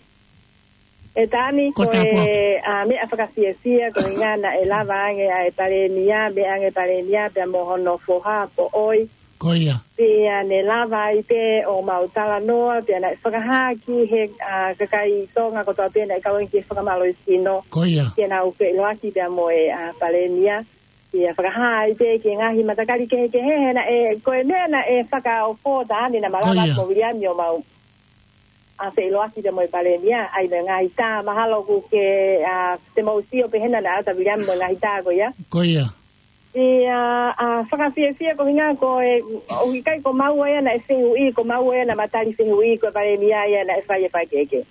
ʻE Tane, ko e, ʻa, meʻa fakafiefia ko e ʻuhinga naʻe lava ange ʻa e Palēmia, meʻa ange Palēmia pea mo hono foha Poʻoi, Ko ia. Pea ne lava ai pē ʻo mau talanoa, pea naʻe fakahā ki he, ʻa, kakai Tonga kotoa pē naʻe kau ki he fakamālohisino. Ko ia. Ke nau feʻiloaki pea mo e, ʻa, Palēmia. Pea fakahā ai pē ki he ngaahi matakali kehekehe, he naʻe, ko e meʻa naʻe fakaofo ʻa Taani naʻa ma lava ʻa Viliami ʻo mau, ʻa, feʻiloaki pea mo e Palēmia, ʻa ia mo e ngaahi tā mahalo ʻoku ke, ʻa, te mau sio pē hena naʻe ʻatā Viliami mo e ngaahi tā ko ia. Ko ia. Pea, ʻa, fakafiefia ko hinga ko e, ʻoku ʻikai ko maua ia naʻe fehuʻi, ko maua ia naʻa ma tali fehuʻi, ko e Palēmia ia naʻe fai e fakakeke.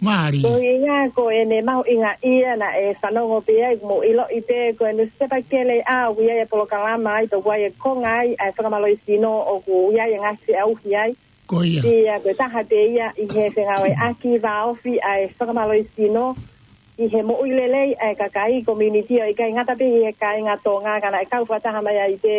Mālie. Ko hinga ko ʻene mahuʻinga ia naʻe fanongo pē ai, mo ʻiloʻi pē ko e nusipepa kele ʻa ʻoku ʻi ai e polokalama ai, tau ai e konga ai, ʻa e fakamālohisino ʻoku ʻi ai e ngaahi feʻauhi ai. Ko ia. Pea ko e taha pē ia ʻi he fengāueʻaki vāofi ʻa e fakamālohisino ʻi he moʻui lelei ʻa e kakai, community, ʻo ʻikai ngata pē ʻi he kāinga Tonga ka naʻe kau fakataha mai ai pē,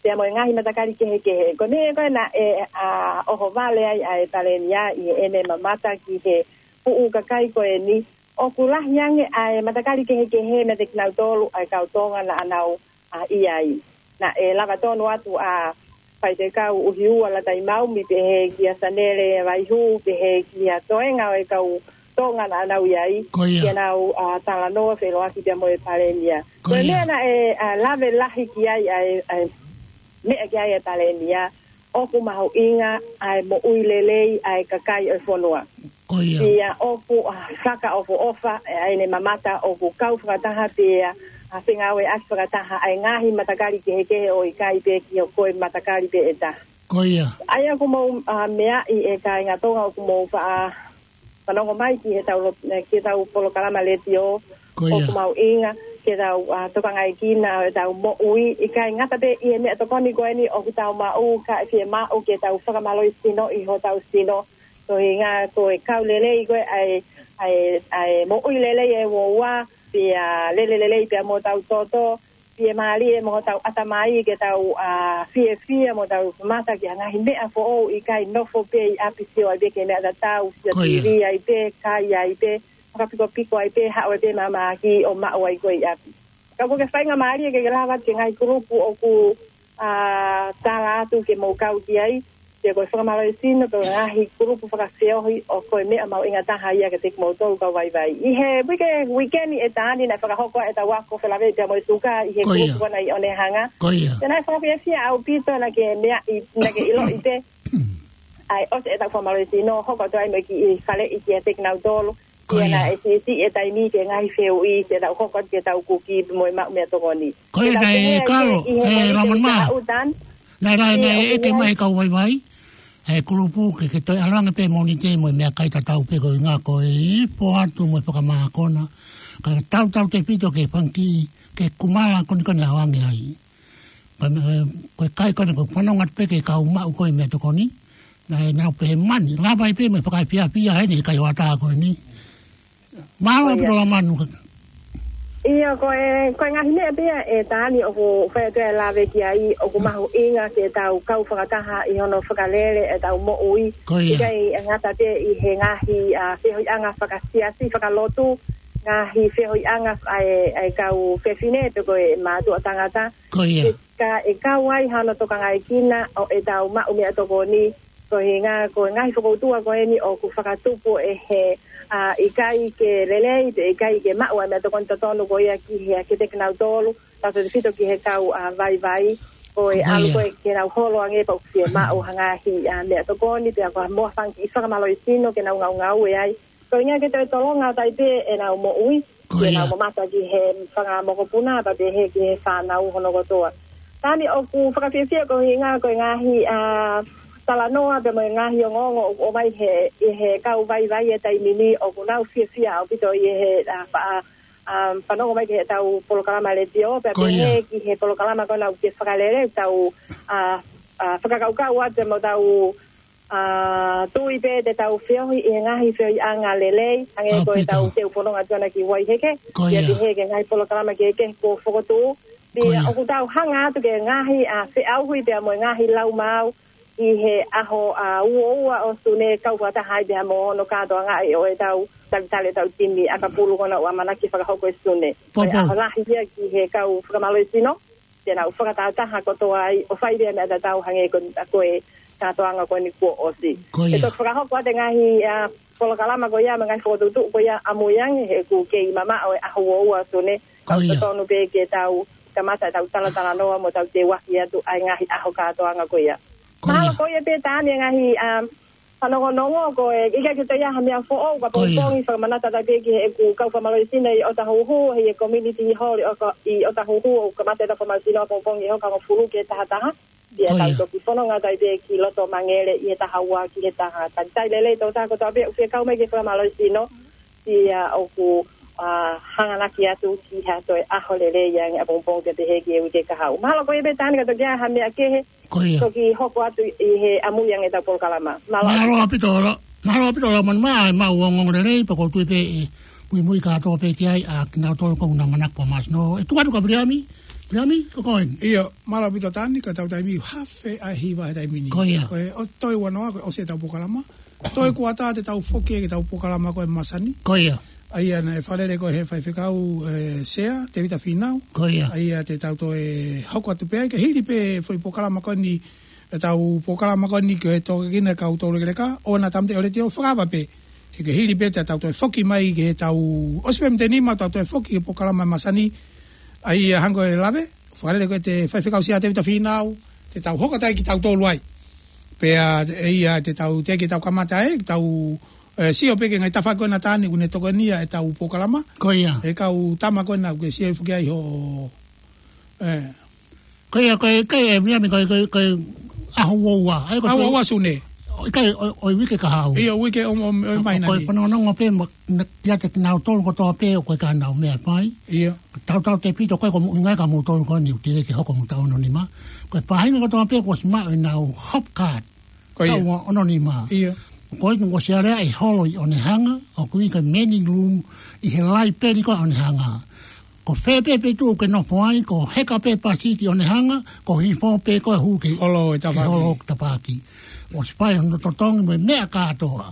pea mo e ngaahi matakali kehekehe. Ko e meʻa ko ē naʻe, ʻa, ʻohovale ai ʻa e Palēmia ʻi heʻene mamata ki he puʻu kakai ko eni, ʻoku lahi ange ʻa e matakali kehekehe meiate kinautolu ʻa e kau Tonga naʻa nau, ʻa, ʻi ai. Naʻe lava tonu atu ʻa Faifekau ʻUhiua Lataimau, mo pehē kia Sanele Vaihū, pehē kia toenga ʻo e kau Tonga naʻa nau ʻi ai. Ko ia. Ke nau, ʻa, talanoa feʻiloaki pea mo e Palēmia. Ko ia. Ko e meʻa naʻe, ʻa, lave lahi ki ai ʻa e, ʻa e meʻa ki ai e Palēmia, ʻoku mahuʻinga ʻa e moʻui lelei ʻa e kakai ʻo e fonua. Ko ia. Pea ʻoku, ʻa, fakaʻofoʻofa ʻa ʻene mamata ʻoku kau fakataha pea, ʻa, fengāueʻaki fakataha ʻa e ngaahi matakali kehekehe ʻo ʻikai pē ki he ko e matakali pē ʻe taha. Ko ia. ʻA ia ʻoku mou, ʻa, meaʻi e kāinga Tonga ʻoku mou faʻa fanongo mai ki he tau lo-, eh, ki he tau polokalama letiō. Ko ia. ʻOku mahuʻinga ke tau, ʻa, tokangaekina ʻetau moʻui, ʻikai ngata pē ʻi he meʻatokoni ko eni ʻoku tau maʻu, kae fiemaʻu ke tau fakamālohisinoʻi hotau sino. Ko hinga ko e kau lelei ko ē ʻa e, ʻa e, ʻa e moʻui lelei ʻa e uaua, pea lele lelei pea mo hotau toto, fiemālie mo hotau ʻatamai ke tau, ʻa, fiefia mo tau mata ki he ngaahi meʻa foʻou, ʻikai nofo pē ʻi ʻapi sio ai pē ki he meʻa tatau, sio Ko ia. T V ai pē, kai ai pē, fakapikopiko ai pē, haʻu ai pē māmāki ʻo maʻu ai ko ē ʻi ʻapi. Ka ʻoku ke faingamālie ke ke lava ki he ngaahi kulupu ʻoku, ʻa, tala atu ke mou kau ki ai, ke ko e fakamālohisino, ko e ngaahi kulupu fakafeohi ʻoku ko e meʻa mahuʻinga taha ia kiate kimoutolu kau vaivai. ʻI he uike, uike ni ʻe Taani naʻe fakahoko ai ʻetau ako felāveʻi pea mo e suka ʻi he Ko ia. Kulupu ko ena ʻi ʻOnehanga. Ko ia. Pea naʻe fakafiefia ʻaupito naʻa ke meaʻi, naʻa ke ʻiloʻi pē. ʻA e ʻosi ʻetau fakamālohisino, hoko atu ai mo e kiʻi faleʻi kiate kinautolu. Ko Pea ia. naʻe siʻisiʻi e taimi ki he ngaahi fehuʻi, ke tau hoko atu ke tau kuki mo e maʻu meʻatokoni. Ko ia, Ke tau naʻe pehē ai kalo, ʻi he ʻe, moʻoni Ramon ke mā. tau tan. Naʻe lahi, Pea naʻe ʻoku ʻeke ʻi ai mai kau vaivai. ʻE kulupu ke, ke toe ʻalu ange pē Mōnite mo e meʻakai tatau pē ko e ngā ko e ifo atu mo e fakamākona. Ka tautautefito ke fanga kiʻi, ke kumala konikoni ʻalu ange ai. Ko e, ko e kai ko eni ko e fanongo atu pē ki he kau maʻu ko ē meʻatokoni. Naʻe nau pehē mani, lava ai pē mo e fakaefiafia heni he kai hoʻatā ko eni. Mālō ʻaupito Lamanu. ʻIo, ko e, ko e ngaahi meʻa pē ia ʻe Taani ʻoku fai atu e lave ki ai, ʻoku mahuʻinga ke tau kau fakataha ʻi hono fakalele ʻetau moʻui. Ko ia. ʻIkai ngata pē ʻi he ngaahi, ʻa, feohiʻanga fakasiasi, fakalotu, ngaahi feohiʻanga ʻa e, ʻa e kau fefine pe ko e mātuʻa tangata. Ko ia. Ke ka ʻe kau ai hano tokangaekina ʻo ʻetau maʻu meʻatokoni, ko e hinga ko e ngaahi fokoutua ko eni ʻoku fakatupu ʻe he, ʻa, ʻikai ke lelei, pe ʻikai ke maʻu ʻa e meʻatokoni totonu ko ia ki he, kiate kinautolu, tautautefito ki he kau, ʻa, vaivai, ko e Ko ʻalu ia. ko ē ke nau holo ange pea ʻoku fiemaʻu ha ngaahi, ʻa, meʻatokoni, pea ko ha mo ha fanga kiʻi fakamālohisino ke nau ngaungaue ai. Ko e ʻuhinga ke toe tolonga atu ai pē ʻenau moʻui, Ko ia. ʻenau mamata ki he fanga mokopuna, pea pehē ki he fānau hono kotoa. Taani ʻoku fakafiefia ko e ʻuhinga ko e ngaahi, ʻa, talanoa pea mo e ngaahi ongoongo ʻoku ʻomai he, ʻe he kau vaivai he taimi ni ʻoku nau fiefia ʻaupito ʻi he, ʻa, fa-, ʻa, ʻa, fanongo mai ki heʻetau polokalama letiō, pea Ko ia. pehē ki he polokalama ko ena ʻoku ke fakalele, tau, ʻa, ʻa, fakakaukau atu mo tau ʻa, tui pē te tau feohi ʻi he ngaahi feohiʻanga lelei, hangē ko e Aupito. tau teu fononga atu ʻana ki Vaiheke, Ko ia. pehē ki he ngaahi polokalama kehekehe kuo fokotuʻu. Pea Ko ia. ʻoku tau hanga atu ki he ngaahi, ʻa, feʻauhi pea mo e ngaahi laumāu ʻi he ʻaho, ʻa, uaua ʻo Sune kau fakataha ai pea mo hono kātoangaʻi ʻo ʻetau talitali ʻetau timi ʻakapulu ko ena ʻoku ʻamanaki fakahoko ʻi Sune. Popo. Ko e ʻaho lahi ia ki he kau fakamālohisino. Te nau fakatahataha kotoa ai, ʻo fai leva meʻa tatau hangē ko, ko e kātoanga ko eni kuo ʻosi. Ko ia. ʻE toki fakahoko atu e ngaahi, ā, polokalama ko ia, mo e ngaahi fokotuʻutuʻu ko ia ʻamui ange, he ʻoku kei mamaʻo e ʻaho uaua Sune, Ko ia. Totonu pē ke tau kamata ʻetau talatalanoa mo tau teuaki atu ʻa e ngaahi ʻaho kātoanga ko ia. Ko ia. Mahalo ko ia pē Tani e ngaahi, um, fanongonongo ko e ʻikai ke toe ʻi ai ha meʻa foʻou ka Ko ia. pongipongi fakamanatu atu pē ki heʻeku kau fakamālohisino ʻi ʻŌtāhuhu, he ʻi he community hall ʻi ʻOka-, ʻi ʻŌtāhuhu ʻoku kamata ʻetau fakamālohisino ʻapongipongi ʻi he hoka hongofulu ki he taha taha. Pea Ko tau ia. toki fononga atu ai pē ki loto Mangere ʻi he taha ua ki he taha. Talitali lelei tau taha kotoa pē ʻoku fie kau mai ki he fakamālohisino. Pea ʻoku, ā, hanganaki atu ki ha toe ʻaho lelei ange ʻapongipongi pea pehē ki he uike kahaʻu. Mahalo ko ia pē Tani ka toki ʻi ai ha meʻa kehe. Ko ia. Toki hoko atu ʻi he ʻamui ange ʻetau polokalama. Mālō. Mālō ʻaupito ʻaupito. Mālō ʻaupito ʻaupito Manu, ʻa e maʻu ongoongo lelei, pea ʻoku ou tui pē ʻe muimui kātoa pē ki ai, ʻa kinautolu ʻoku nau manako ʻo māsino. ʻE tuku atu kia Viliami, Viliami, ko koe. ʻIo, mālō ʻaupito Tani, ka tau taimi hafe ʻa e hiva he taimi ni. Ko ia. Ko e ʻosi toe ua noa, ko e ʻosi ʻetau polokalama. Toe kuata te tau foki ki heʻetau polokalama ko e masani. Ko ia. ʻA ia naʻe fakalele ko ē he faifekau, ē, Sea, Tevita Fīnau. Ko ia. ʻA ia te tau toe hoko atu pē ai, ke hili pē foʻi polokalama ko eni, ʻetau polokalama ko eni ko e tokekina kau tau lekeleka, ʻo na tamte ʻo leti ʻo fakava pē. He ke hili pē te tau toe foki mai ke tau, ʻosi pē mei he nima tau toe foki he polokalama masani. ʻA ia hangē ko e lave, fakalele ko ē he faifekau Sea Tevita Fīnau, te tau hoko atu ai kitautolu ai. Pea, ʻe ia te tau, te ke tau kamata ai, tau, ē, sio pē ki he ngaahi tafaʻaki ko ena Tani, ʻoku ne tokonia ʻetau polokalama. Ko ia. ʻE kau tama ko ena, ʻoku ke sio foki ai ho, ē, Ko ia, ko e, ko e, ʻe, Viliami, ko e, ko e, ko e ʻaho uaua. ʻAi, ko e ʻAho uaua Sune. ʻIkai, ʻo, ʻo e uike kahaʻu. ʻIo, uike ʻo, ʻo, ʻo e māhina ni. Ko e fanongonongo pē, ma, na, kiate kinautolu kotoa pē, ʻoku ʻikai ke nau meʻa fai. ʻIo. Tautautefito ko e ko mo, ʻi he ngaahi ka moutolu ko eni ʻoku teʻeki ke hoko mo tau ono nima. Ko e faʻahinga kotoa pē, kuo ʻosi maʻu ʻenau hop card. Ko ia. Tau ono nima. ʻIo. Ko ia kuo ʻosi aleaʻi holo ʻi Onehunga, ʻoku ui ko e manning room, ʻi he laipeli ko ē ʻo Onehunga. Ko fē pē feituʻu ʻoku ke nofo ai, ko heka pē pasi ki Onehunga, ko hifo pē ko e hū ki he holo ʻo e tafaʻaki. Holo ʻo e tafaʻaki. ʻOsi fai hono totongi mo e meʻa kātoa.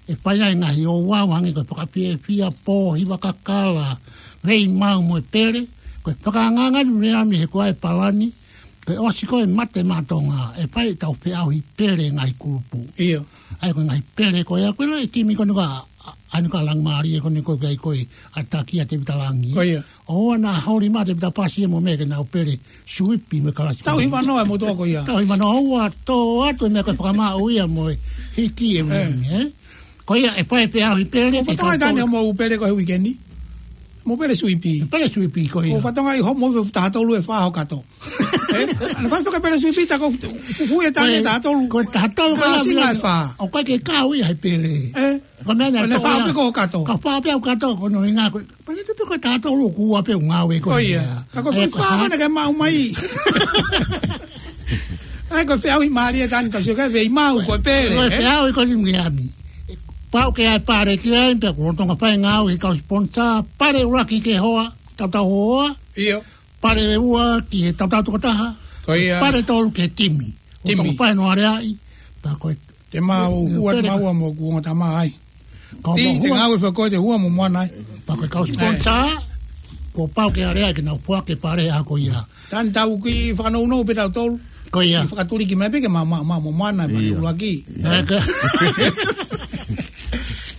ʻE fai ai e ngaahi ouau hangē ko e fakafiefia, pō, hiva kakala, veimau mo e pele, ko e fakaangaanga ni Viliami he ko e palani, ko e ʻosi ko ē mate maʻa Tonga, ʻe fai ʻetau feʻauhi pele ngaahi kulupu. ʻIo. ʻAi ko e ngaahi pele ko ia, ko e lau ʻe he timi ko eni ko ē, ʻa, ʻa eni ko ē Langimālie ko eni ko e, ko e, ʻa Takia Tevita Langi. Ko ia. ʻOua naʻa holi mai Tevita Pasi mo e meʻa ke nau pele, suipi mo e kalasi. Tauhi manoa e motuʻa ko ia. Tauhi manoa ʻoua, tō atu e meʻa ko e fakamaʻu ia mo e hiki e Ē. Viliami, ē? Ko ia ʻe fai e feʻauhi pele, ʻOku ke fatongia tau Tani tō- hoʻomou pele ko e uike ni? Mou pele suipi. Pele suipi ko ia. ʻOku fatongia ʻi hoʻomou taha tolu ʻe fā ho kato. Ē? ʻAna fai faka pele suipi ta ko fu-, fu-, fu-, e Tani Ko e, taha tolu. ko e taha tolu Ka ko ia singa Viliami. ʻE fā. ʻOku ʻikai ke kau ia he pele. Ē? Ko e meʻa ni Ko ʻene ʻa fā Tonga. pē ko ho kato. Ka fā pē ʻa e kato, ko hono ʻuhinga ko e, pele tu pē ko e taha tolu kuo ua pē ʻoku ngāue ko Ko ia. ia. Ka ko e Ē, foʻi ko fā ha- ko ena ke maʻu mai. ʻAi ko e feʻauhi mālie Tani ka sio ki ai veimau ko e pele, Ko e ē? feʻauhi ko eni Viliami. Pau ke ʻai pale ki ai, pea ʻoku lolotonga fai e ngāue he kau sponsor, pale ʻuluaki ki he hoa, tautau hoa. ʻIo. Pale ua ki he tautau tokotaha. Ko ia. Pale tolu ki he timi. Timi. Lolotonga fai hono aleaʻi, pea ko e Te mau Ē, hua pele. maua mo kuonga tama ai. Ka Ti, mau te hua. ngāue fakakoe te hua mo moana ai. Pea ko e kau sponsor, Ē. kuo pau ke aleaʻi ke nau foaki e pale ʻa ko ia. Tani tau kiʻi fakanounou pē tautolu. Ko ia. Kiʻi fakatuliki mai pē ke ma, ma, ma, mo moana, pale ʻIo. ʻuluaki. Ē, ka-,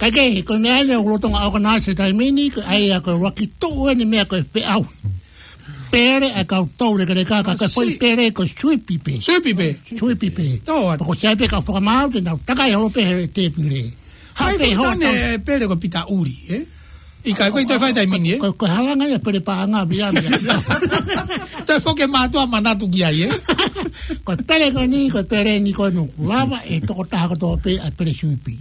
ka ke, ko e meʻa ia ʻoku lolotonga organize he taimi ni, ko e ʻai ia ko e ʻuluaki tuʻu eni meʻa ko e feʻauhi pele ʻa e kau tau lekeleka, ka Ka ko e foʻi si- pele ko e suipi pē. Suipi pē. Suipi pē. Tō atu. Pea ko e sai pē kau fakamaau te nau takai holo pē he tēpile. Ha Ai, pē ko ho Tani tau- e pele ko Pita Uli, ē? ʻIkai, ko e toe fai taimi ni, ē? Ko, ko e halanga ia pele paʻanga Viliami. Toe foki e mātuʻa manatu ki ai, ē? Ko e pele ko eni, ko e pele ni ko e nuku. Lava e tokotaha kotoa pē ʻa e pele suipi.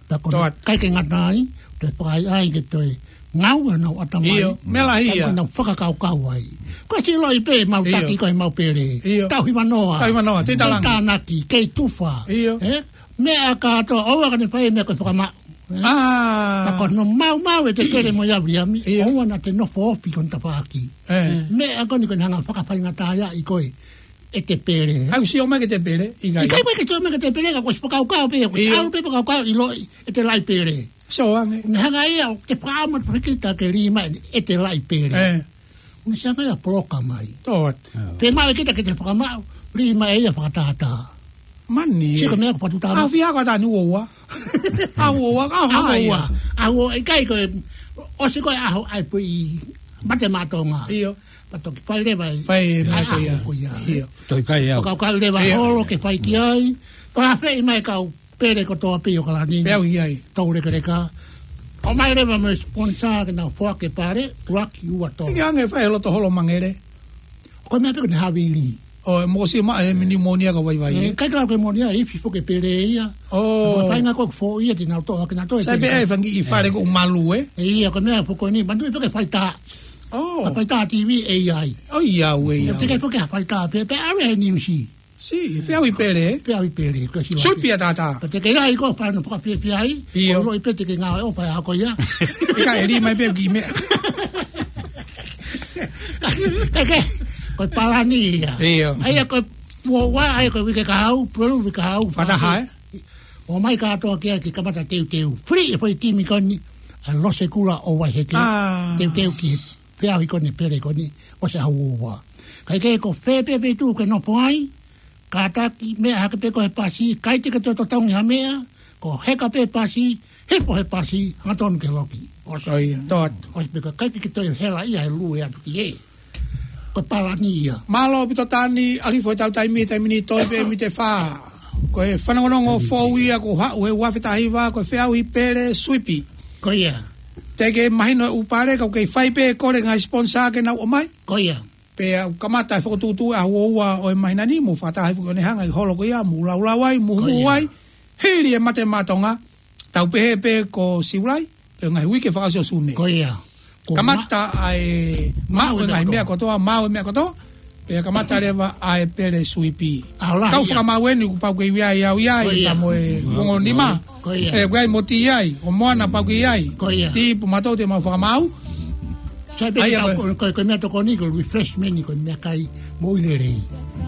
Pea ko Tō atu. ʻikai ke ngata ai, toe fakaʻaiʻai ke toe ngāue honau ʻatamai. ʻIo, meʻa lahi ia. Pea ko ʻenau fakakaukau ai. Ko e siʻi loʻi pē, mau Io. taki ko e mau pele. Io. Tauhi manoa. Tauhi manoa, te Kei tālangi. tānaki, kei tufa. Io. Ē? Meʻa kātoa, ʻoua ka ne fai e meʻa ko e fakamaʻu. Ē? Ah. Ka ko hono maumau ʻete pele mo ia Viliami, Io. ʻoua naʻa te nofo ofi ki hono tafaʻaki. Ē. Meʻa ko eni ko ʻene hanga fakafaingataʻaʻi koe ʻete pele. Kau sio mai ki heʻete pele, ʻikai. ʻIkai mai ke sio mai ki heʻete pele, ka kuo ʻosi fakakaukau pē, kuo Io. ʻalu pē fakakaukau ʻiloʻi ʻete laʻi pele. Sio ange. Ne hanga ia ʻo te fakaʻamu atu fakita ke lī mai ʻete laʻi pele. Ē. Ni sia mai a poloka mai. Tō atu. Pē mai kita ke te fakamaʻu, lī mai ia fakatātā. Mani. Sio ko e meʻa ko Patu Tama. ʻAho fiha ko ʻAtani, ua ua. ʻAho ua ua, ʻaho ʻAho ua ua. ia. ʻAho ua, ʻikai ko e, ʻosi ko e ʻaho ʻai pui mate matonga. ʻIo. Pea toki fai leva ai. Fai mai ko ia. ʻAho ko ia. ʻIo. Toki kai au. Ka, ka leva ʻIo. holo ke fai ki ai. Pea feʻi mai kau Pele kotoa pē ʻi ʻAokalani. Pea u ʻi ai. Toulekeleka. ʻOmai leva mo e sponsor ke nau foaki e pale, ʻuluaki ua tolu. ʻIkai ange fai e loto holo mangele. Ko e meʻa pē ko ʻene havili. ʻO, e mokosiʻi mai e pneumonia ka vaivai, ʻE, ē? ʻikai ke lau ke pneumonia, ʻe ifi foki e pele ia. ʻO. Ko e faʻahinga ko ē foʻi ia te nau toʻo hake, nau toʻo e Sai pē pele. ʻAi e fanga kiʻi fale ʻoku malu, ē? ʻE ia, ko e meʻa foki ko eni, manatuʻi pē ko e faitā. ʻO. Ko e faitā TV ʻe ʻi ai. ʻO, ʻi ai, ʻe ʻi ai. Te ke foki ha faitā pē, pea ʻave he niusi. Sī, feʻauhi pele, ē? Feʻauhi pele, ko si Suipi ʻa tātā. Ka te ke ʻi ai ko e fānau fakafiefia ai, ʻIo. ʻo loi pē te ke ngāue ʻo fai ako ia. ʻIkai, ʻe lī mai pē ki meʻa. Ka ke, ko e palani ia. ʻIo. ʻA ia ko e ua ua, ʻa ia ko e uike kahaʻu, pulu uike kahaʻu. Fakataha, ē? ʻOmai kātoa ki ai ke kamata teuteu. Free e foʻi timi ko eni, ʻa Losekula ʻo Vaiheke. ʻĀ. Teuteu ki he feʻauhi ko eni pele ko eni, ʻosi ʻaho ua ua. Kae kehe ko fē pē feituʻu ke nofo ai, kātaki meʻa hake pē ko e pasi, ʻikai te ke toe totongi ha meʻa, ko e heka pē pasi, hifo he pasi, hangatonu ke loki. ʻOsi. ʻIo, tō atu. ʻOsi pē ka ʻikai ke toe hela ia he lue atu ki hē. Ko e palani ia. Mālō ʻaupito Tani, ʻalu hifo e tau taimi, taimi ni toe pē miniti ʻe fā. Ko e fanongonongo foʻou ia kuo haʻu he ua afe taha hiva, ko e feʻauhi pele Suipi. Ko ia. Te ke mahino e ʻū pale, ka ʻoku kei fai pē kole ngaahi sponsor ke nau ʻomai. Ko ia. Pea ʻoku kamata e fokotuʻutuʻu ʻaho ua ua ʻo e māhina ni, mo fakataha hifo ki Onehunga ʻi he holo ko ia, mou laulau ai, mou Ko ia. huhu ai, hili e mate matonga, tau pehē pē ko Siulai, pe ngaahi uike fakaʻosi ʻo Sune. Ko ia. Ko Kamata ma- ʻa e maʻu maʻu e e ngaahi meʻa meʻa kotoa, maʻu e meʻa kotoa, pea kamata leva ʻa e pele Suipi. ʻAho lahi Kau ia. fakamāu eni kuo pau ke ui ai au ia, Ko ia. pea mo e Ko ongo nima. Ko ia. ʻE, ui ai mo ti ai, ʻo Moana pau ke ui ai. Ko ia. Ti pu matou te mau fakamāu. Sai pē ʻA ia ke tau ko- ko, ko, ko e meʻa tokoni ko e refreshment ko e meʻakai moʻui lelei.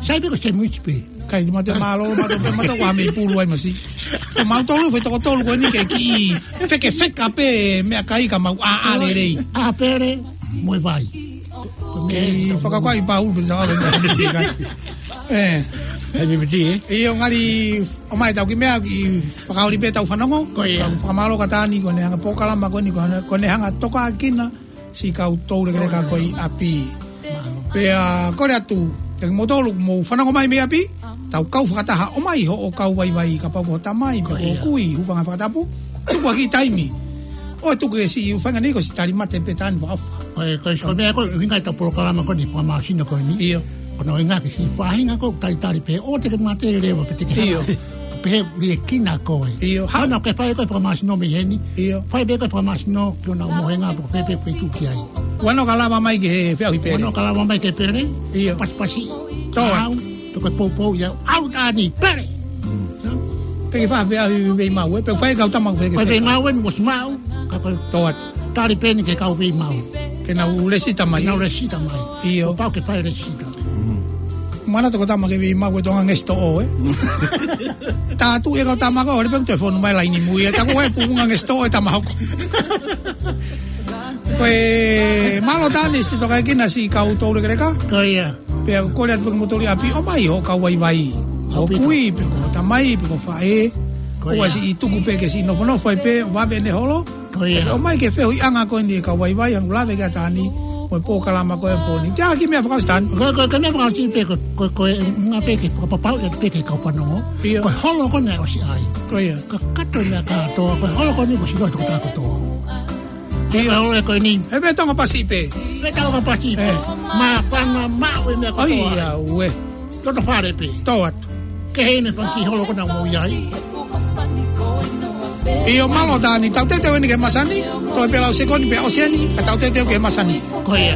Sai pē ko e sandwich pē. ʻIkai, te mau te mālō, matou pē, matou ʻoku ʻi ai e pulu ai masi. Ko mautolu foʻi toko tolu ko eni ke kiʻi fekefeka pē meʻakai ka mau ʻā, ʻā lelei. ʻĀ pele, mo e vai. Ko, ko e meʻa Kei tau fakakoa ʻi Paulu, pē tau ʻā lelei. ʻE. Hei, pipiti, ē? ʻIo, ngali, ʻomai tau kiʻi meʻa, kiʻi fakaoli pē tau fanongo. Ko ia. Tau fakamālō kia Tani, ko ʻene hanga polokalama ko eni, ko ʻene, ko ʻene hanga toka kina siʻi kau toulekeleka ko ē ʻi ʻapi. Pea kole atu, kia kimoutolu, mou fanongo mai mei ʻapi, tau kau fakataha ʻomai hoʻo kau vaivai kapau ko ho tamai, pe ko ho Ko ia. kui, hūfanga he fakatapu, tuku ha kiʻi taimi. ʻOua ʻe tuku e siʻi faʻahinga ni ko siʻi tali mate pē Tani fakaʻofa. Ko e, ko e, ko e meʻa ko e ʻuhinga ʻetau polokalama ko eni, fakamāsino ko eni. ʻIo. Ko hono ʻuhinga ke siʻi faʻahinga ko e talitali pē, ʻoua te ke mate leva pe te ke hala. ʻIo. Pehē liʻekina koe. ʻIo, ha- Hana ke fai ko e fakamāsino mei heni. ʻIo. Fai pē ko e fakamāsino ki honau mohenga pe ko fē pē feituʻu ki ai. Ua noa ka lava mai ki he feʻauhi pele. Ua noa ka lava mai ki he pele. ʻIo. Pasipasi. Tō. Au, pe ko e poupou ia. ʻAlu Tani, pele. Ke ke fai feʻauhi veimau, ē. Pe fai kau tama ke Ko e ke fai. veimau eni mo siʻi maʻu. Ka ko e Tō atu. tali pē eni ki he kau veimau. Ke nau lēsisita mai. Ke nau lēsisita mai. ʻIo. Kuo pau ke fai lēsisita. Mana toko tama ke veimau ko e Tonga Guest ʻo, ē? Tātu e kau tama ko, ʻo le pe ko e telefoni mai laini mui, ē, taku ē punga Guest ʻo e tama hoko. Ko e mālō Tani siʻi toka kina siʻi kau toulekeleka. Ko ia. Pea kole atu pē kia kimoutolu ʻi ʻapi ʻomai hoʻo kau vaivai. Ho ʻAupito. kui, pe ko ho tamai, pe ko ho faʻē. Ko ʻOua ia. siʻi tuku pē ke siʻi nofonofo ai pē, vave ʻene holo. Ko ia. Pea ʻomai ki he feohiʻanga ko eni e kau vaivai, hangē ko e lave kia Tani, mo e polokalama ko ē ʻo e pō ni. Te ʻai ha kiʻi meʻa fakaʻosi Tani. Ko, ko, ko e meʻa fakaʻosi pē, ko, ko, ko e ʻuhinga pē ke fakapapauʻi atu pē ki he kau fanongo. ʻIo. Ko e holo ko eni ʻosi ʻai. Ko ia. Ka kakato e meʻa kātoa, ko e holo ko eni kuo ʻosi ʻilo ʻe he tokotaha kotoa. ʻIo. Ko e holo ko eni. He pē Tonga Pasi pē. Pē Tonga Pasi pē. ʻE. Māfana maʻu e meʻa kotoa. ʻAi, ʻauē. Loto fale pē. Tō atu. Ke hei me fanga kiʻi holo ko ena ʻoku mou ʻi ai. ʻIo mālō Tani, tau teuteu eni ki he masani, toe pē lau sekoni pē ʻosi eni, ka tau teuteu ki he masani. Ko ia.